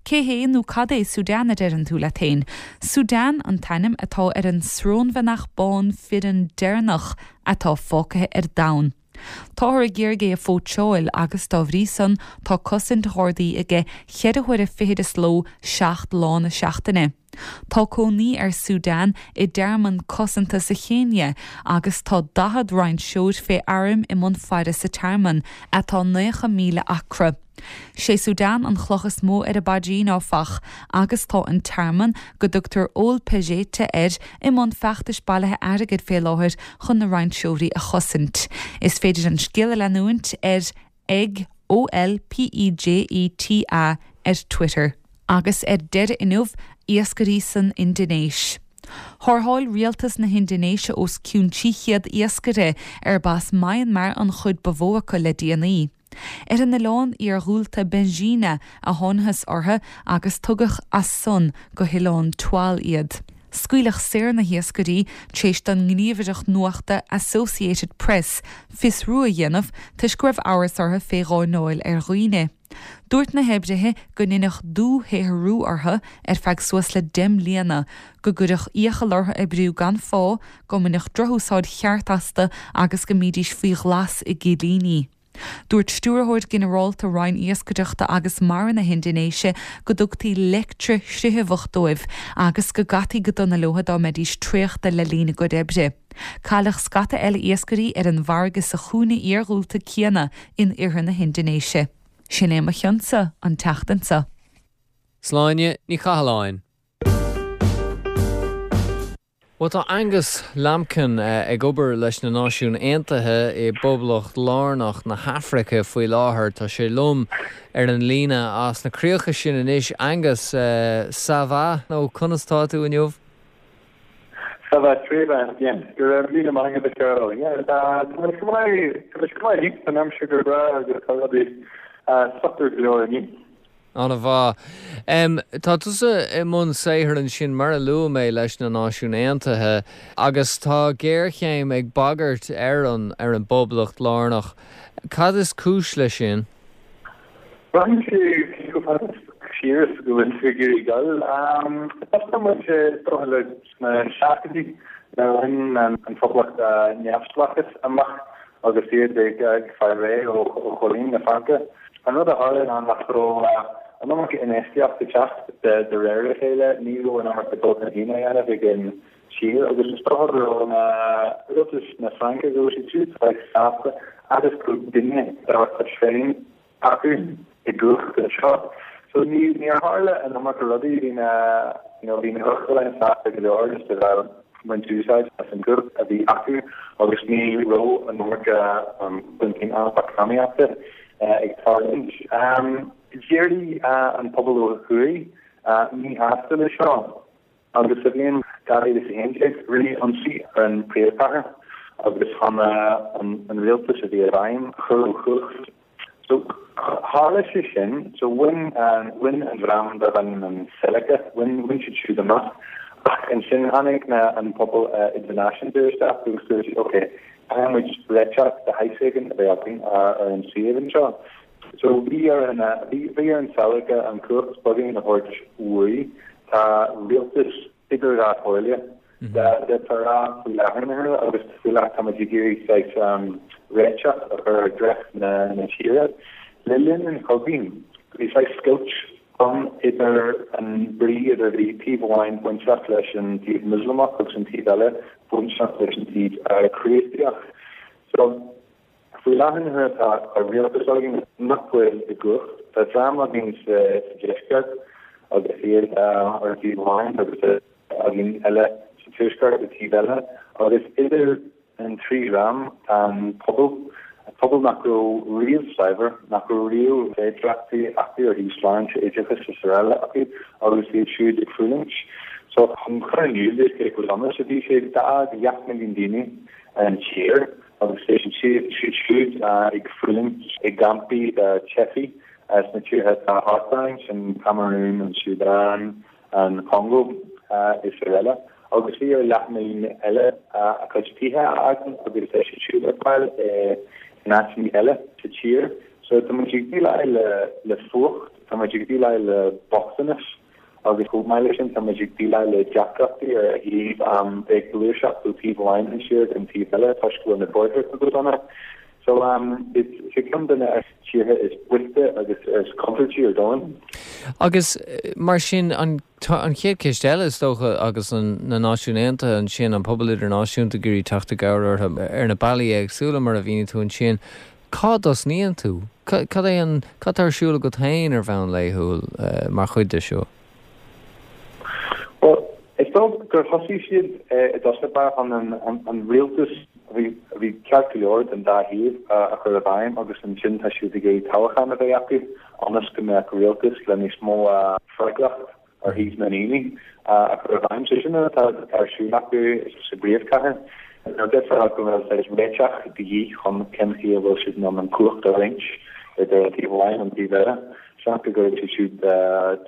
Cé hé nó cad é Sudan a deireann tú leat féin? Sudan an t-ainm atá ar an srónbheannach bán fireann deireanach atá fágtha ar domhan. Táthar ag iarraidh é a phóitseáil agus dá bhrí san tá cosaint ghardaí aige cheithre huaire fichid sa ló, 7 lá na seachtaine. Tá cónaí ar Sudan i dtearmann cosanta sa Chéinia agus tá 40 rainseoir fé airm i mbun faire sa tearmann, atá 90 míle acra. Sé Sudan an chloch is mó ar a bpaidrín, áfach, agus tá an tearmann, go dtugtar Ol Pejeta air, i mbun feachtais bailithe airgid fé láthair chun na rainseoirí a chosaint. Is féidir an scéal a leanúint ar ag OLPEJETA ar Twitter. Agus ar deireadh inniu, iascairí san Indinéis. Tharrtháil rialtas na hIndinéise os cionn 300 iascaire, arb as Myanmar an chuid ba mhó acu le déanaí. Ar an oileán iarghúlta Benjina a thángthas orthu agus tugadh as san go hOileán Tual iad. Scaoileadh saor na hiascairí tar éis don ngníomhaireacht nuachta Associated Press fiosrú a dhéanamh toisc go raibh amhras orthu fé gháinneáil ar dhaoine. Dúirt na hoibrithe go ndeineadh dúshaothrú orthu ar feadh suas le 10 mbliana, go gcuireadh iachall orthu oibriú gan phá, go mbaineadh drochúsáid cheart astu agus go mbídís faoi ghlas i gcillíní. Dúirt Stiúrthóir Ginearálta Roinn Iascaireachta agus Mara na hIndinéise go dtugtaí leictrea-shrithabhach dóibh agus go gcaití go dona leo dá mbeidís traochta le linn a gcuid oibre. Cailleadh scata eile iascairí ar an bhfarraige sa chúinne iarghúlta céanna in oirthear na hIndinéise. Sin é mo chionn-sa an tseachtain seo. Sláine Ní Chathalláin. Bhuel, tá Angus Lambkin ag obair leis na Náisiúin Aontaithe i bPoblacht Lárnach na hAfraice faoi láthair. Tá sé liom ar an líne as na críocha sin anois. Angus, ça va? Nó conas tá tú inniu? Ça va très bien. Go raibh míle maith agat, a Cheryl. Yeah, tá mé go maith, tá mé go maith. Tá an aimsir go breá agus tá rudaí socair go leor inniu. An-mhaith. Tá tusa i mbun saothair ansin, mar a luaigh mé, leis na Náisiúin Aontaithe agus tá géarchéim ag bagairt ar an ar an bPoblacht Lárnach. Cad is cúis leis sin? Braitheann sé cé chomh fada siar is go bhfuil tú ag iarraidh dul. Tosóidh muid is dócha le sna seascaidí nuair a bhain an Phoblacht a neamhspleáchas amach agus iad ag fáil réidh ó choilín na Fraince. An rud a tharla ná nach raibh an iomarca infheistíocht ag teacht de réir a chéile, ní raibh an iomarca dul chun cinn á dhéanamh ag an tír agus is dócha go raibh na rialtas na Fraince, go raibh siad siúd sásta agus go raibh duine dá gcuid féin acu i gcumhacht anseo. So ní níor tharla an iomarca rudaí, bhí na you know bhí na huachtaráin sásta go leor just a bheith ag baint úsáid as an gcumhacht a bhí acu agus ní raibh an iomarca um, chun cinn eacnamaíochta ag tarlúint. Um, D'éirigh an pobal ó thuaidh míshásta le seo. Agus sa bhliain 2011, rinneadh ionsaí ar an príomhchathair agus chun an rialtas a bhí i bhfeidhm a chur ó chumhacht. So, tharla sé sin, so bhain bhain an dream darb ainm an Seleka, bhain bhain siad siúd amach ach ansin tháinig na an pobal idirnáisiúnta isteach agus dúirt siad ok, caithfidh muid réiteach de shaghas éigin a bheith againn ar an suíomh anseo. So bhí ar an bhí bhí ar an Seleka an cumhacht beagáinín a thabhairt uaidh. Tá rialtas idir dhá chomhairle d'fhéadfá a rá faoi láthair na huaire agus faoi láthair táimid ag iarraidh saghas réiteach a chur ar dhreach na tíre. Le linn an chogaidh bhí saghas scoilt ann idir an brí idir bhí taobh amháin bainteach leis an taobh Muslamach agus an taobh eile bainteach leis an taobh Críostaíoch. So Faoi láthair na huaire tá rialtas againn nach bhfuil i gcumhacht. Tá dream againn sa deisceart agus iad ar thaobh amháin agus tá againn eile sa tuaisceart ar taobh eile agus idir an trí dhream tá an pobal, pobal nach raibh riamh saibhir, nach raibh riamh féidearthachtaí acu ar thaobh sláinte, oideachais is araile acu agus iad siúd ag fulaingt. So chun cur in iúl duit cé chomh dona is a bhí sé, d'fhág leath milliún daoine an tír. agus tá siad siúd ag fulaingt i gcampaí de theifigh sna tíortha atá thart orainn, sin Camarún, an Súdáin, an Chongó is araile. Agus bhí ar leathmhilliún eile a gcuid tithe a fhágáil agus tá siad siúd ar fáil in áiteanna eile sa tír. So tá muid ag déileáil le fuacht, tá muid ag déileáil le bochtanas. Agus chomh maith leis sin, tá muid ag déileáil le deacrachtaí ar thaobh bheith ag gluaiseacht ó taobh amháin den tír go an taobh eile toisc go bhfuil na bóithre go dona. So is é ceann de na tíortha is boichte agus is contúirtí ar domhan. Agus mar sin, an an chéad cheist eile is dócha agus an na Náisiúin Aontaithe ansin, an pobal idirnáisiúnta ag iarraidh teacht i gcabhair orthu ar na bealaí éagsúla mar a mhínigh tú ansin, Cá dtosnaíonn tú? Cad é an, cad tá ar siúl agat féin ar bhonn laethúil mar chuid de seo? Bhuel, is dóigh gur thosaigh siad i dtosach báire chun an rialtas a bhí, a bhí ceart go leor den dá thaobh a chur i bhfeidhm agus ansin tá siad ag iarraidh toghchán a bheith acu ionas go mbeadh rialtas le níos mó freagracht ar thaobh na ndaoine a chur i bhfeidhm. So sin atá ar siúl acu sa bpríomhchathair. Now d'fhéadfá a rá go bhfuil saghas réiteach de dhíth chun cén chaoi a bhfuil siad in ann an cumhacht a roinnt idir an taobh amháin an taobh eile. Seans go gcuirfidh siad siúd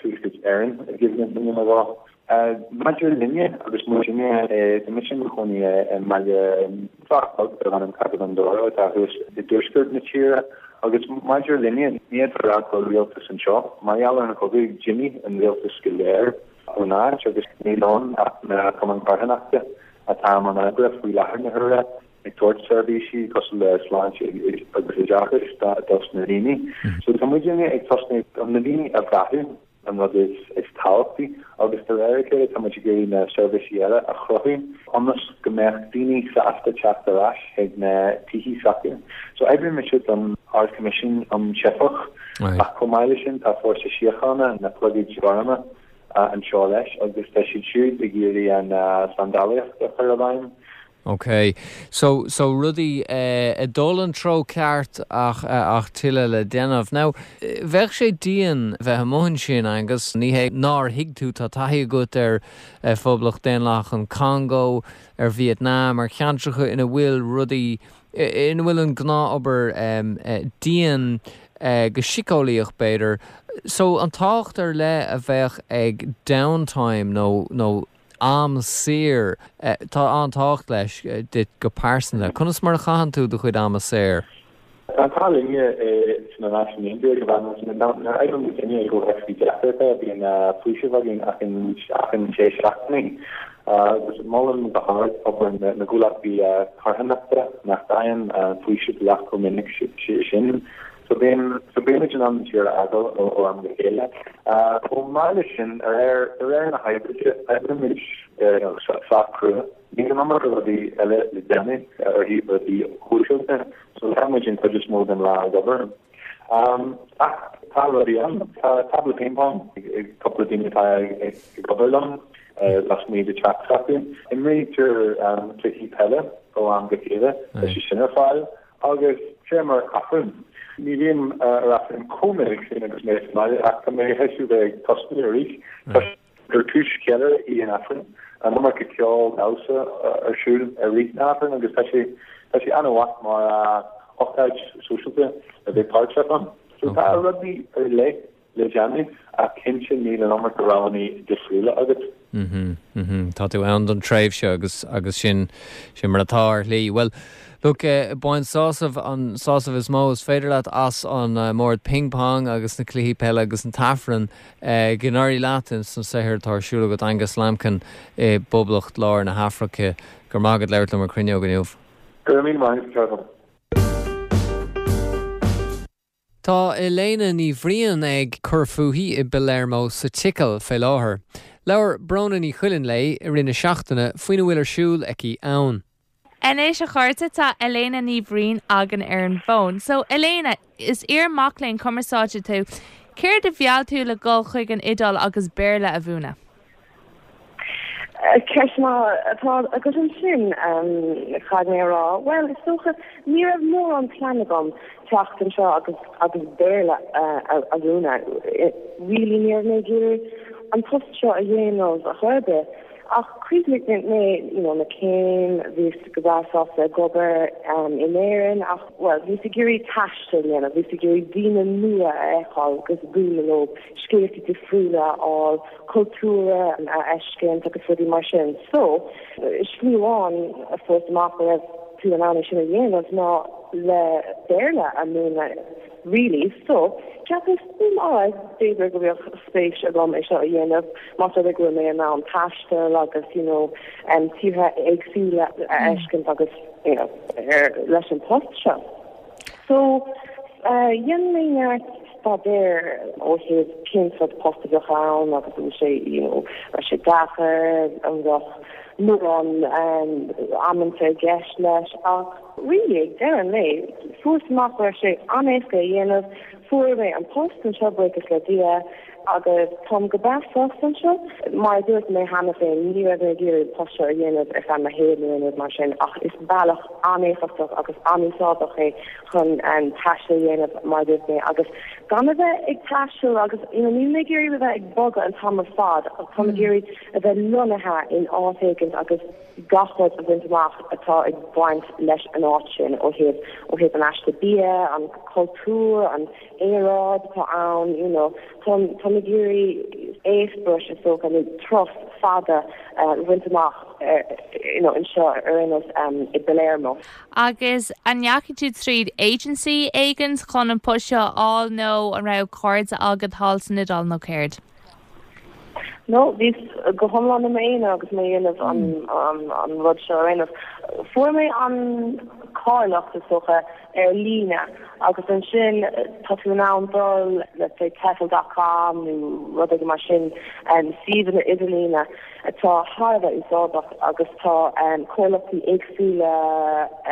Tuaisceart Éireann i gcuimhne duine nó dhó. Maidir linne agus muidinne, tá mise i mo chónaí i mbaile sách beag darb ainm Cabeza de Oro atá thuas i dtuaisceart na tíre agus maidir linne, ní fhéadfá a rá go bhfuil rialtas anseo. Mar gheall ar an chogadh, d'imigh an rialtas go léir ón áit agus níl ann ach na cumainn carthanachta atá i mbun oibre faoi láthair na huaire ag tabhairt seirbhísí cosúil le sláinte agus oideachas dos na daoine. So tá muidinne ag tosnú na daoine a bheathú. an rud is tábhachtaí agus de réir a chéile tá muid ag iarraidh na seirbhísí eile a chruthú ionas go mbeadh daoine sásta teacht ar ais chuig na tithe s'acu. So oibríonn mise don Ard-Choimisiún um Teifeach ach chomh maith leis sin tá Fórsa Síochána, na Clogaid Ghorma, anseo leis agus tá siad siúd ag iarraidh an tseandálaíocht a chur i bhfeidhm. Ok. So, so rudaí ag dul an treo ceart ach, ach tuilleadh le déanamh. Now, bheadh sé dian bheith amuigh ansin, Angus. Ní hé nár thuig tú, tá taithí agat ar Phoblacht Daonlathach an Chongó, ar Vietnam, ar cheantracha ina bhfuil rudaí, ina bhfuil an gnáthobair dian go síceolaíoch b'fhéidir. So, an tábhacht ar leith a bheadh ag downtime nó, nó, am saor. Tá an-tábhacht leis duit go pearsanta. Conas mar a chaitheann tú do chuid ama saor? Tá an t-ádh linne sna Náisiúin Aontaithe go bhfaigheann nuair a oibríonn muidinne i gcomhthéacs deacrachta bíonn faoiseamh againn achan sé seachtainí agus molaim go hard obair na gcomhlachtaí carthanachta nach bhfaigheann faoiseamh leath chomh minic sin. So bíonn, so bímid in ann an tír a fhágáil ó am go chéile. Chomh maith leis sin, de réir, de réir na hoibre de, oibrímid sách crua. Níl an iomarca rudaí eile le déanamh ar thaobh rudaí shóisialta, so tá muid an chuid is mó den lá ag obair. Ach tá rudaí ann. Tá tábla ping pong ag cúpla daoine atá ag obair liom lasmuigh de teach s'acu. Imrítear cluichí peile ó am go chéile, tá sé sin ar fáil. Agus téim ar Aifreann. Ní bhím ar Aifreann chomh minic sin agus mé sa mbaile ach tá mé théis a bheith ag tosnú arís toisc gur cúis cheiliúradh í an Aifreann. an iomarca ceol damhsa ar siúl i rith na hAifreann agus tá sé tá sé an-mhaith mar ócáid sóisialta a bheith páirteach ann. So tá rudaí ar leith le déanamh ach cinnte níl an iomarca roghanna difriúla agat. Mhm, mhm. Tá tú ann don tréimhse agus agus sin sin mar atá ar shlí. Bhuel, look, bain sásamh, an sásamh is mó is féidir leat as an mbord ping pong agus na cluichí peile agus an t-aifreann. Go n-éirí leat ins an saothar atá ar siúl agat, Angus Lambkin i bPoblacht Lár na hAfraice. Go raibh maith agat labhairt liom ar Cruinneog inniu. Go raibh míle maith agat, a Charlie. Tá Elena Ní Bhriain ag cur fúithi i bPalermo sa tSicil fé láthair. Labhair Bróna Ní Chuilinn léi i rith na seachtaine faoina bhfuil ar siúl aici ann. Anois a chairde tá Elena Ní Bhriain againn ar an bhfón. So Elena, is iar-mac léinn cumarsáide tú. Céard a mheall tú le dhul chuig an Iodáil agus Béarla a mhúineadh? Ceist maith atá agat ansin, caithfidh mé a rá. Bhuel, is dócha, ní raibh mórán plean agam teacht anseo agus agus Béarla a mhúineadh. Really, ní raibh mé ag iarraidh an post seo a dhéanamh ar chor ar bith. Ach chríochnaigh mé, you know, mo chéim, bhíos go breá sásta ag obair in Éirinn ach, bhuel, bhíos ag iarraidh taisteal a dhéanamh, bhíos ag iarraidh daoine nua a fheiceáil agus bualadh leo, scéalta difriúla a fháil. cultúr a fheiscint agus rudaí mar sin. So, slí amháin a fuaireas amach go raibh tú in ann é sin a dhéanamh ná le Béarla a mhúineadh really. So, cheapas, hmm, alright, b'fhéidir go mbeadh spéis agam é seo a dhéanamh más rud é go bhfuil mé in ann taisteal agus, you know, tíortha éagsúla a fheiscint agus, you know, ar, leis an post seo. So, dhein mé neart staidéir ó thaobh cén sórt post a bheadh ann agus an bhfuil sé, you know, raibh sé deacair, an mbeadh mórán amanta i gceist leis ach really ag deireadh an lae fuaireas amach go raibh sé an-éasca a dhéanamh, fuair mé an post anseo buíochas le Dia. Agus táim go breá sásta anseo. Mar a dúirt mé cheana féin, ní raibh mé ag iarraidh an post seo a dhéanamh ar feadh mo shaoil nó aon rud mar sin, ach is bealach an-éifeachtach agus an-úsáideach é chun taisteal a dhéanamh, mar a dúirt mé, agus gan a bheith ag taisteal agus, you know, níl mé ag iarraidh a bheith ag bogadh an t-am ar fad, ach táim ag iarraidh a bheith lonnaithe in áit éigint agus gach rud a bhaint amach atá ag baint leis an áit sin ó thaobh, ó thaobh an aiste bia, an cultúr, an aeráid atá ann, you know, táim, táim ag iarraidh eispéireas is dócha nó turas fada a bhaint amach, you know, anseo ar aon nós i bPalermo. Agus an ndeachaigh tú tríd agency éigin chun an post seo a fháil nó an raibh cairde agat thall san Iodáil nó céard? No, bhíos go hiomlán i m'aonar agus mé ag déanamh an, an rud seo ar aon nós. Fuair mé an cáilíocht is dócha ar líne agus ansin tá tú in ann dul let's say tefl dot com nó rud éigin mar sin, suíomhanna idirlíne atá thar a bheith úsáideach agus tá comhlachtaí éagsúla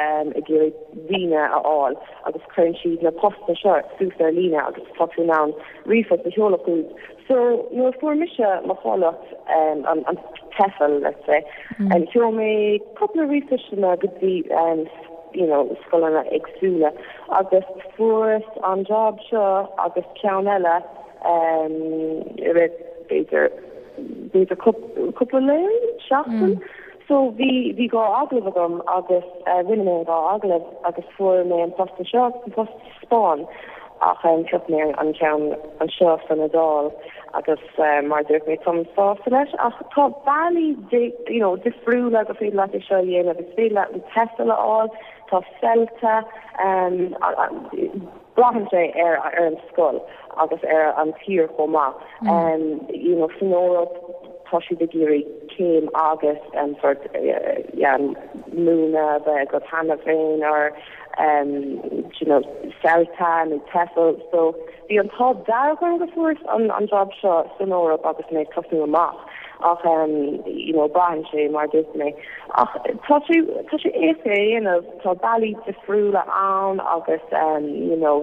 ag iarraidh daoine a fháil agus cuireann siad na postanna seo suas ar líne agus tá tú in ann ríomhphost a sheoladh chucu. So nuair a fuair mise mo cháilíocht, an TEFL let's say, sheol mé cúpla ríomhphostanna go dtí you know scoileanna éagsúla agus fuaireas an job seo agus ceann eile i rith b'fhéidir b'fhéidir cúpla lá, seachtain. So bhí bhí dhá agallamh agam agus rinne mé an dhá agallamh agus fuair mé an post anseo agus an post sa Spáinn ach phioc mé an ceann anseo san Iodáil agus mar a dúirt mé táim sásta leis ach tá bealaí you know difriúla gur féidir leat é seo a dhéanamh. Is féidir leat an TEFL a fháil, tá CELTA, Braitheann sé ar ar an scoil agus ar an tír chomh maith. You know san Eoraip tá siad ag iarraidh céim agus an sort yeah múineadh a bheith agat cheana féin or you know CELTA nó TEFL so bhí an t-ádh dearg orm go fuaireas an an job seo san Eoraip agus mé ag tosnú amach ach you know braitheann sé mar a dúirt mé ach tá sé tá sé éasca a dhéanamh. Tá bealaí difriúla ann agus you know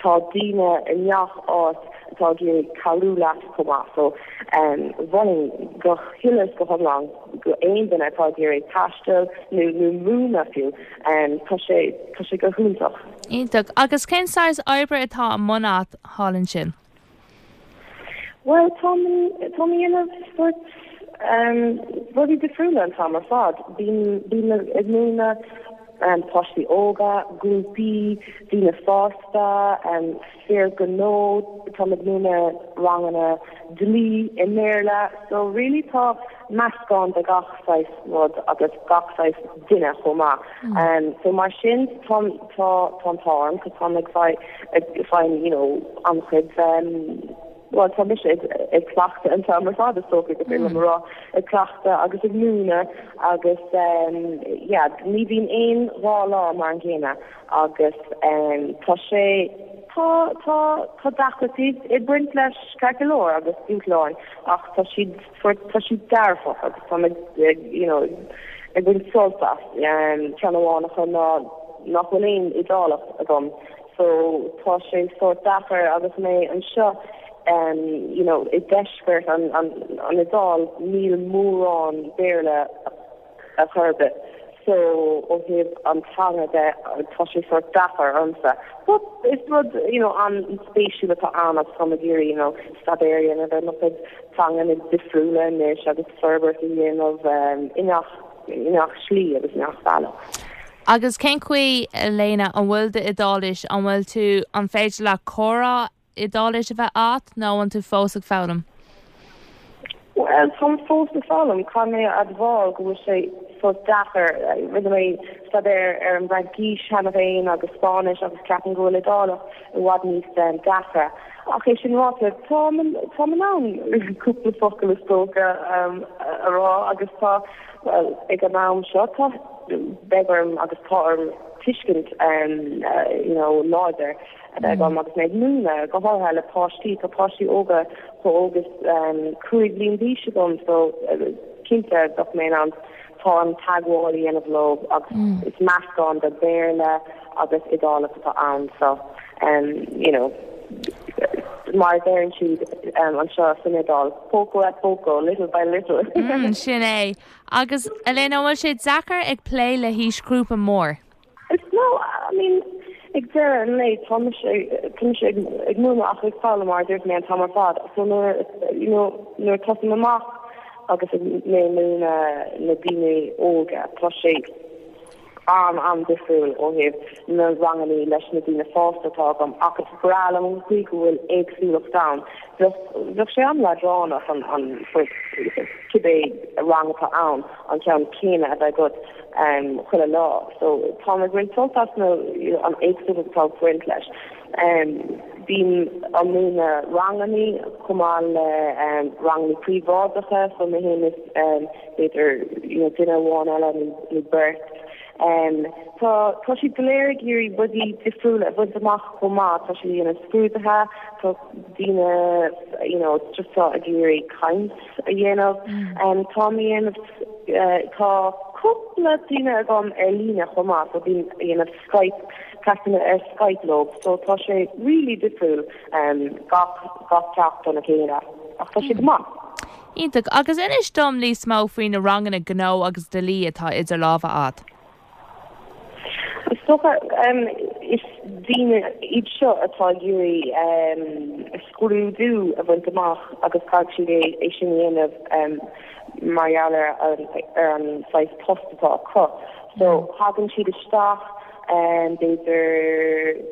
tá daoine i ngach áit atá ag iarraidh cabhrú leat chomh maith so mholfainn go huile is go hiomlán go aon duine atá ag iarraidh taisteal nó nó múineadh fiú tá sé tá sé go hiontach. Iontach. Agus cén saghas oibre atá i mbun agat thall ansin? Bhuel táim táim ag déanamh sórt. Rudaí difriúla an t-am ar fad. Bím ag múineadh páistí óga, grúpaí, daoine fásta, fir gnó, táim ag múineadh ranganna dlí i mBéarla. So really tá meascán de gach saghas rud agus gach saghas duine chomh maith. So mar sin tá tá an t-ádh orm 'cause táim ag fáil you know an-chuid bhuel tá mise ag cleachtadh an t-am ar fad is dócha gur féidir liom a rá, ag cleachtadh agus ag múineadh agus yeah ní bhíonn aon dá lá mar an gcéanna agus tá sé tá tá tá deacrachtaí ag baint leis ceart go leor agus dúshláin ach tá siad tá siad dearfach agus tá mé ag you know ag baint sult as. Ceann amháin acu ná nach bhfuil aon Iodálach agam So tá sé sórt deacair agus mé anseo you know i deisceart an an Iodáil níl mórán Béarla ar chor ar bith so ó thaobh an teanga de tá sé sórt deacair ormsa. But is rud you know an-spéisiúil atá ann agus táim ag iarraidh you know staidéar a dhéanamh ar mo chuid teanganna difriúla anois agus forbairt a dhéanamh i ngach i ngach slí agus i ngach bealach. Agus cén chaoi, Elena, an bhfuil d'Iodáilis, an bhfuil tú, an féidir leat comhrá Iodáilis a bheith agat nó an bhfuil tú fós ag foghlaim? Bhuel, táim fós ag foghlaim. Caithfidh mé a admháil go bhfuil sé sórt deacair. Rinne mé staidéar ar an bhFraincís cheana féin agus Spáinnis agus ceapaim go bhfuil Iodálach i bhfad níos deacra. Ach é sin ráite, táim táim in ann cúpla focal is dócha a rá agus tá, bhuel, ag an am seo tá, beidh orm agus tá orm tuiscint you know láidir a bheith agam agus mé ag múineadh, go háirithe le páistí. Tá páistí óga chomh óg is 5 bliain d'aois agam so cinnte bheadh mé in ann tá an teagmháil a dhéanamh leo agus is meascán de Béarla agus Iodálach atá ann so you know mar a deireann siad anseo san Iodáil, poco a poco, little by little. Sin é. Agus, Elena, an bhfuil sé deacair ag plé le haoisghrúpa mór? No, I mean, ag deireadh an lae, tá mise, tá mise ag, ag múineadh ach ag foghlaim mar a dúirt mé an t-am ar fad. So nuair, you know, nuair a tosaím amach agus ag mé ag múineadh na daoine óga, tá sé an-an-difriúil ó thaobh na rangannaí leis na daoine fásta atá agam ach is breá liom an chaoi go bhfuil éagsúlacht ann. Bheadh, bheadh sé an-leadránach an, an, cibé rang atá ann, an ceann céanna a bheith agat chuile lá. So táim ag baint sult as na, an éagsúlacht atá ag baint leis. Bím ag múineadh rangannaí chomh maith le rangannaí príobháideacha so mé féin is b'fhéidir you know duine amháin eile nó beirt. Tá tá siad go léir ag iarraidh rudaí difriúla a bhaint amach chomh maith, tá siad ag déanamh scrúduithe, tá daoine you know just tá ag iarraidh caint a dhéanamh. Táim ag déanamh tá cúpla duine agam ar líne chomh maith so bím ag déanamh Skype, ceachtanna ar Skype leo so tá sé really difriúil gach gach ceacht óna chéile ach tá sé go maith. Iontach. Agus inis dom níos mó faoi na ranganna gnó agus dlí atá idir lámha a'd. Is dócha, is daoine iad seo atá ag iarraidh scrúdú a bhaint amach agus caithfidh siad é sin a dhéanamh mar gheall ar ar an saghas post atá acu. So thagann siad isteach b'fhéidir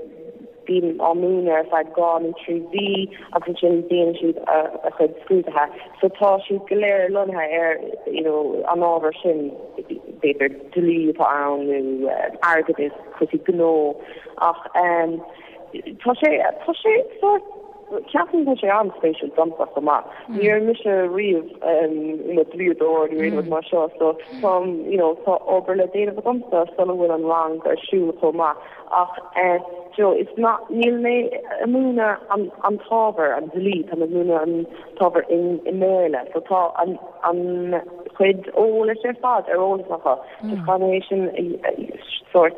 Bím á múineadh ar feadh 2 nó 3 mhí agus ansin déanann siad a chuid scrúduithe. So tá siad go léir lonnaithe ar you know an ábhar sin, b'fhéidir dlí atá ann nó airgeadas, cúrsaí gnó ach tá sé tá sé sórt ceapaim go bhfuil sé an-spéisiúil domsa chomh maith. Ní raibh mise riamh i mo dlíodóir nó aon rud mar seo so táim you know tá obair le déanamh agamsa sula bhfuil an rang ar siúl chomh maith. Ach you know, it's not, níl mé ag múineadh an an t-ábhar, an dlí, tá mé ag múineadh an t-ábhar i i mBéarla. So tá an an chuid eolais ar fad ar eolas acu. Just caithfidh mé é sin sórt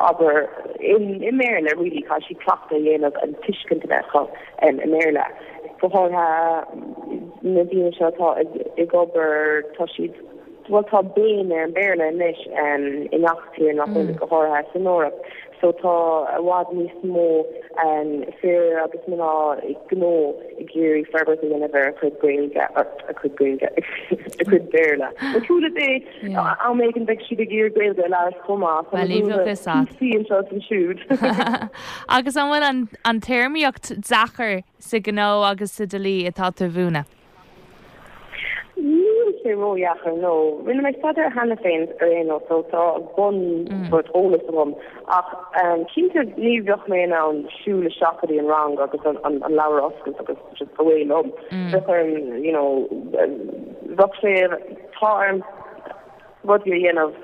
abair i i mBéarla really, caithfidh siad cleachtadh a dhéanamh an tuiscint a bheith acu i mBéarla. Go háirithe na daoine seo atá ag ag obair, tá siad. Bhuel tá béim ar an Béarla anois i ngach tír nach bhfuil, go háirithe san Eoraip. So tá i bhfad níos mó fir agus mná gnó ag iarraidh forbairt a dhéanamh ar a chuid Gaeilge, a cuid Gaeilge, a cuid Béarla. Nó cúnamh Dé, am éigin beidh siad ag iarraidh Gaeilge a labhairt chomh maith. Tá Well, bheadh fhios a't. píosaí anseo is ansiúd. Agus an bhfuil an an téarmaíocht deacair sa ghnó agus sa dlí atá tú a mhúineadh? Níl sé ródheacair, no. Rinne mé staidéar cheana féin ar aon nós so tá bun sort eolas agam ach cinnte ní bheadh mé in ann siúl isteach go dtí an rang agus an leabhar a oscailt agus just away liom. Bheadh orm, you know, bheadh sé, tá orm rudaí a dhéanamh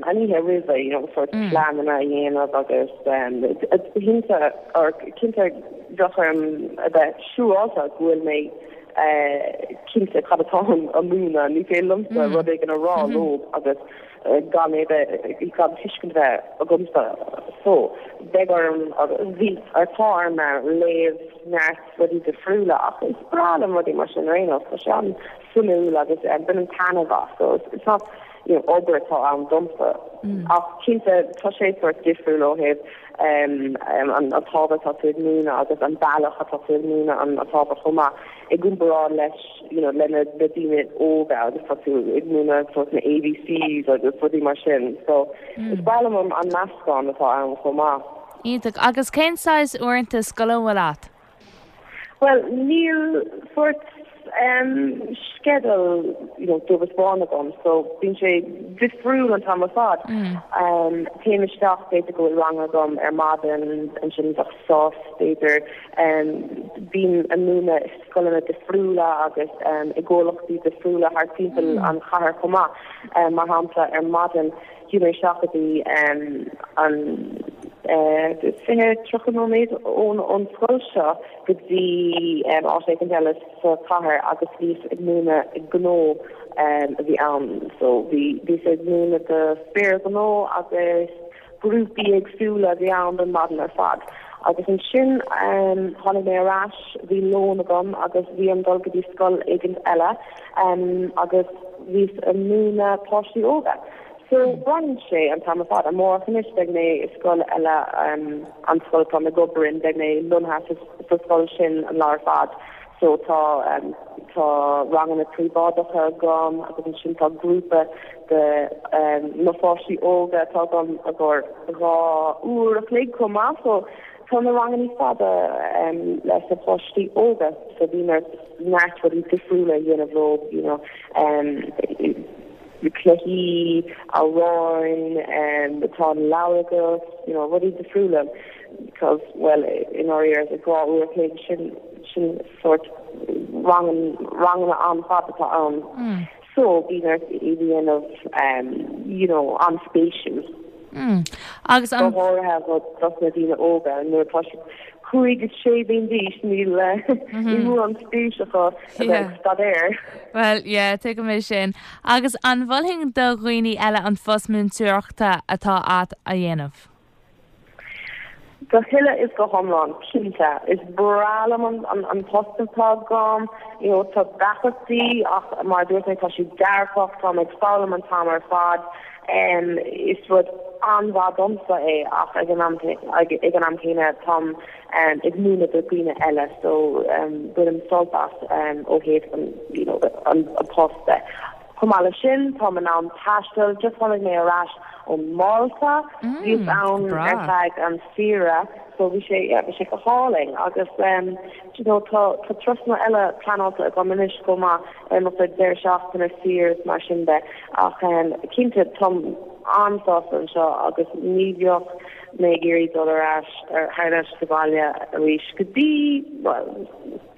an oíche roimhe, you know, sort pleananna a dhéanamh agus cinnte, or cinnte bheadh orm a bheith siúráilte go bhfuil mé cinnte cad atáim a múineadh, ní féidir liomsa rud éigin a rá leo agus gan é bheith, gan tuiscint a bheith agamsa. So, beidh orm, bhí, or tá orm léamh neart rudaí difriúla ach is breá liom rudaí mar sin ar aon nós, tá sé an suimiúil agus bainim taitneamh as so it's not you know obair atá ann domsa ach cinnte tá sé sort difriúil ó thaobh an t-ábhar atá tú ag múineadh agus an bealach atá tú ag múineadh an t-ábhar chomh maith i gcomparáid leis you know le na daoine óga agus tá tú ag múineadh sort na ABCs agus rudaí mar sin so is breá liom an meascán atá ann chomh maith. Iontach. Agus cén saghas uaireanta scoile an bhfuil a't? Bhuel, níl sórt sceideal you know dubh is bán agam so bíonn sé difriúil an t-am ar fad. Téim isteach, b'fhéidir go bhfuil rang agam ar maidin, ansin bheadh sos b'fhéidir. Bím ag múineadh i scoileanna difriúla agus i gcomhlachtaí difriúla thart timpeall an chathair chomh maith. Mar shampla ar maidin, Chuaigh mé isteach go dtí an 20, 30 nóiméad ón scoil seo go dtí áit éicint eile sa chathair agus bhíos ag múineadh gnó a bhí ann. So bhí bhíos ag múineadh do fir ghnó agus grúpaí éagsúla a bhí ann don maidin ar fad. Agus ansin tháinig mé ar ais, bhí lón agam agus bhí orm dul go dtí scoil éigint eile agus bhíos ag múineadh páistí óga. So braitheann sé an t-am ar fad. Amárach anois beidh mé i scoil eile, an scoil atáim ag obair in, beidh mé lonnaithe sa scoil sin an lá ar fad. So tá tá ranganna príobháideacha agam agus ansin tá grúpa de na pháistí óga atá agam i gcomhair 2 uair a chloig chomh maith. So tá na ranganna fada leis na páistí óga so bíonn ort neart rudaí difriúla a dhéanamh leo, you know. cluichí, amhráin, tá an leabhar agat, you know, rudaí difriúla because, well, i ndáiríre, 2 uair a chloig, sin, sin sórt rang, ranganna an-fhada atá ann. So, bíonn ort iad a dhéanamh, you know, an-spéisiúil. Agus an. Go háirithe dos na daoine óga, nuair atá siad 5 is 6 bliain d'aois, níl níl mórán spéis acu a bheith ag staidéar. Bhuel, yeah, tuigim é sin. Agus an mholfainn do dhaoine eile an phost múinteoireachta atá a't a dhéanamh? Go huile is go hiomlán, cinnte. Is breá liom an post atá agam. You know, tá deacrachtaí ach mar a dúirt mé tá sé dearfach, táim ag foghlaim an t-am ar fad. Is rud an-mhaith domsa é ach ag an am ag an am céanna táim ag múineadh do dhaoine eile so bainim sult as ó thaobh an you know an post de. Chomh maith leis sin táim in ann taisteal, just tháinig mé ar ais ó Málta, bhíos ann ar feadh an saoire so bhí sé yeah bhí sé go hálainn agus you know tá tá turasanna eile pleanáilte agam anois chomh maith ar mo chuid deireadh seachtaine saor is mar sin de ach cinnte táim an-sásta anseo agus ní bheadh mé ag iarraidh dul ar ais thar n-ais sa bhaile arís go dtí bhuel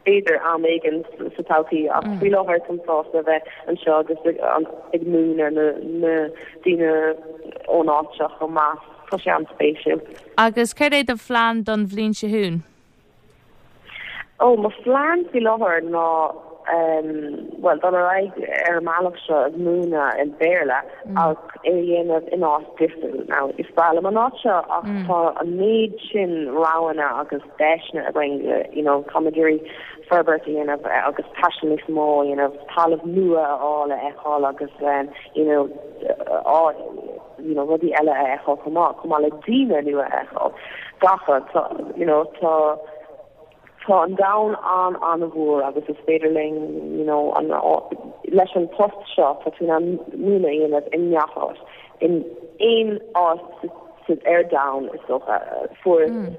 b'fhéidir am éigin sa todhchaí ach faoi láthair táim sásta a bheith anseo agus ag múineadh na na daoine ón áit seo chomh maith. Tá sé an-spéisiúil. Agus céard é do phlean don bhliain seo chugainn? Ó, mo phlean faoi láthair ná. bhuel, dul ar aghaidh ar an mbealach seo ag múineadh i mBéarla ach é a dhéanamh in áit difriúil. Now, is breá liom an áit seo ach tá an méid sin roghanna agus deiseanna againn, you know, táim ag iarraidh forbairt a dhéanamh agus taisteal níos mó a dhéanamh, talamh nua a fháil a fheiceáil agus, you know, you know, rudaí eile a fheiceáil chomh maith, chomh maith le daoine nua a fheiceáil. Gach rud, tá, you know, tá, tá an domhan an-an-mhór agus is féidir linn, you know, an, leis an post seo, tá tú in ann múineadh a dhéanamh i ngach áit, in aon áit sa, ar domhan is dócha. Fuaireas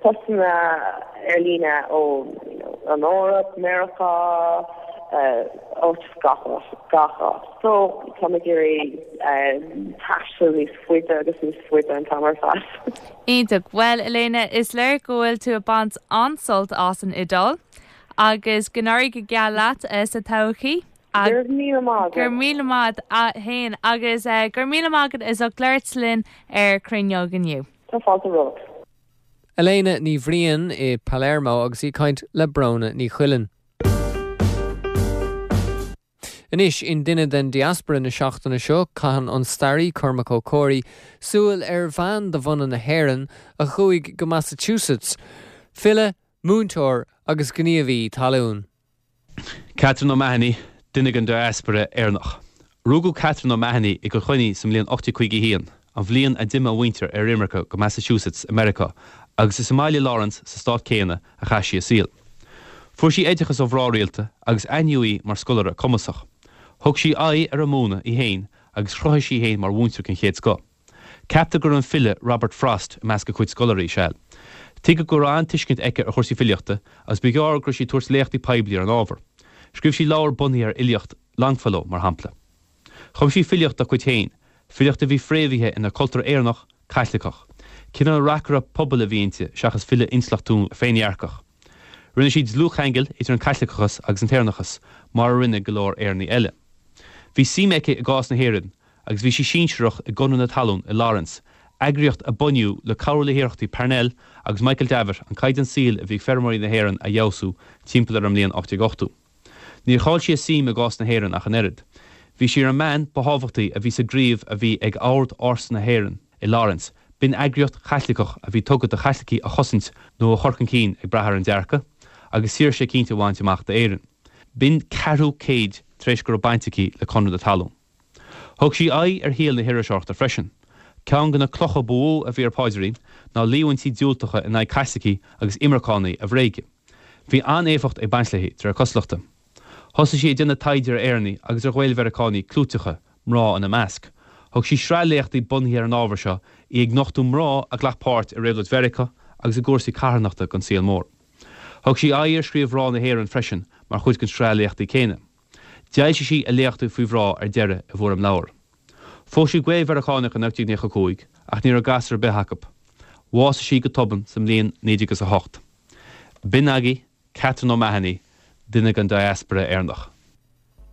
postanna ar líne ó, you know, an Eoraip, Meiriceá, áit, gach áit, gach áit. So, táim ag iarraidh taisteal níos faide agus níos faide an t-am ar fad. Iontach. Bhuel, Elena, is léir go bhfuil tú ag baint an-sult as an Iodáil agus go n-éirí go geal leat sa todhchaí. Go raibh míle maith agat. Go raibh míle maith agat féin agus go raibh míle maith agat as ucht labhairt linn ar Cruinneog inniu. Tá fáilte romhat. Elena Ní Bhriain i Palermo agus í ag caint le Bróna Ní Chuilinn. Anois, in Duine den Diaspora na seachtaine seo, caitheann an staraí Cormac Ó Comhraí súil ar bhean de bhunadh na hÉireann a chuaigh go Massachusetts, file, múinteoir agus gníomhaí talún. Catherine O'Mahony, duine den diaspora Éireannach. Rugadh Catherine O'Mahony i gCill Chainnigh sa mbliain 1851, an bhliain a d'imigh a mhuintir ar imirce go Massachusetts i Meiriceá, agus is i mbaile Lawrence sa stát céanna a chaith sí a saol. Fuair sí oideachas ó mhná rialta agus aithníodh í mar scoláire cumasach. Thug sí aghaidh ar an múineadh í féin agus chruthaigh sí í féin mar mhúinteoir den chéad scoth. Ceaptar go raibh an file Robert Frost i measc a cuid scoláirí, seal. Tuigeadh go raibh an-tuiscint aici ar chúrsaí filíochta agus ba ghearr go raibh sí ag tabhairt léachtaí poiblí ar an ábhar. Scríobh sí leabhar bunaithe ar fhilíocht Longfellow, mar shampla. Chum sí filíocht dá cuid féin, filíocht a bhí fréamhaithe ina cultúr Éireannach, Caitliceach. Cineál reacaire pobail a bhí inti seachas file intleachtúil féindhearcach. Rinne sí dlúthcheangal idir an Caitliceachas agus an tÉireannachas, mar a rinne go leor Éireannaigh eile. Bhí suim aici i gcás na hÉireann agus bhí sí sinsearach i gConradh na Talún i Lawrence, eagraíocht a bunaíodh le cabhrú le hiarrachtaí Parnell agus Michael Davitt an caighdeán saoil a bhí ag feirmeoirí na hÉireann a fheabhsú timpeall ar an mbliain 1880. Níor chaill sí a suim i gcás na hÉireann ach an oiread. Bhí sí ar an mbean ba thábhachtaí a bhí sa gcraobh a bhí ag Ord Ársa na hÉireann i Lawrence, b'in eagraíocht Chaitliceach a bhí tugtha do Chaitlicigh a chosaint nó a chur chun cinn ag brath ar an dearcadh, agus saoirse eicínt a bhaint amach d'Éirinn. B'in ceathrú céid tar éis go raibh baint aici le Conradh na Talún. Thug sí aghaidh ar shaol na hiriseoireachta freisin. Ceann de na clocha ba mhó a bhí ar a paidrín ná líomhaintí diúltacha in aghaidh Caitlicigh agus imirceánaigh a bhréagadh. Bhí an-éifeacht ag baint léi, de réir cosúlachta. Thosaigh sí ag déanamh taighde ar Éireannaigh agus ar Ghael-Mheiriceánaigh clúiteacha, mná ina measc. Thug sí sraith léachtaí bunaithe ar an ábhar seo, í ag nochtadh mná a ghlac páirt i réabhlóid Mheiriceá agus i gcúrsaí carthanachta den saol mór. Thug sí aghaidh ar scríobh mhná na hÉireann freisin mar chuid den tsraith léachtaí céanna. D'fhoilsigh sí a léachtaí faoi mhná ar deireadh i bhfoirm leabhar. Phós sí Gael-Mheiriceánach in 1895 ach ní raibh gasúr ar bith acu. Bhásaigh sí go tobann sa mbliain 1908. B'in agaibh Catherine O'Mahony, duine den diaspora Éireannach.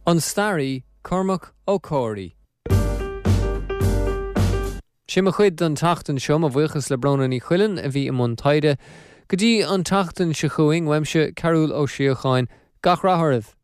An staraí Cormac Ó Comhraí. Sin mo chuid don tseachtain seo. Mo bhuíochas le Bróna Ní Chuilinn a bhí i mbun taighde. Go dtí an tseachtain seo chugainn, uaimse, Cearúll Ó Síocháin, gach rath oraibh!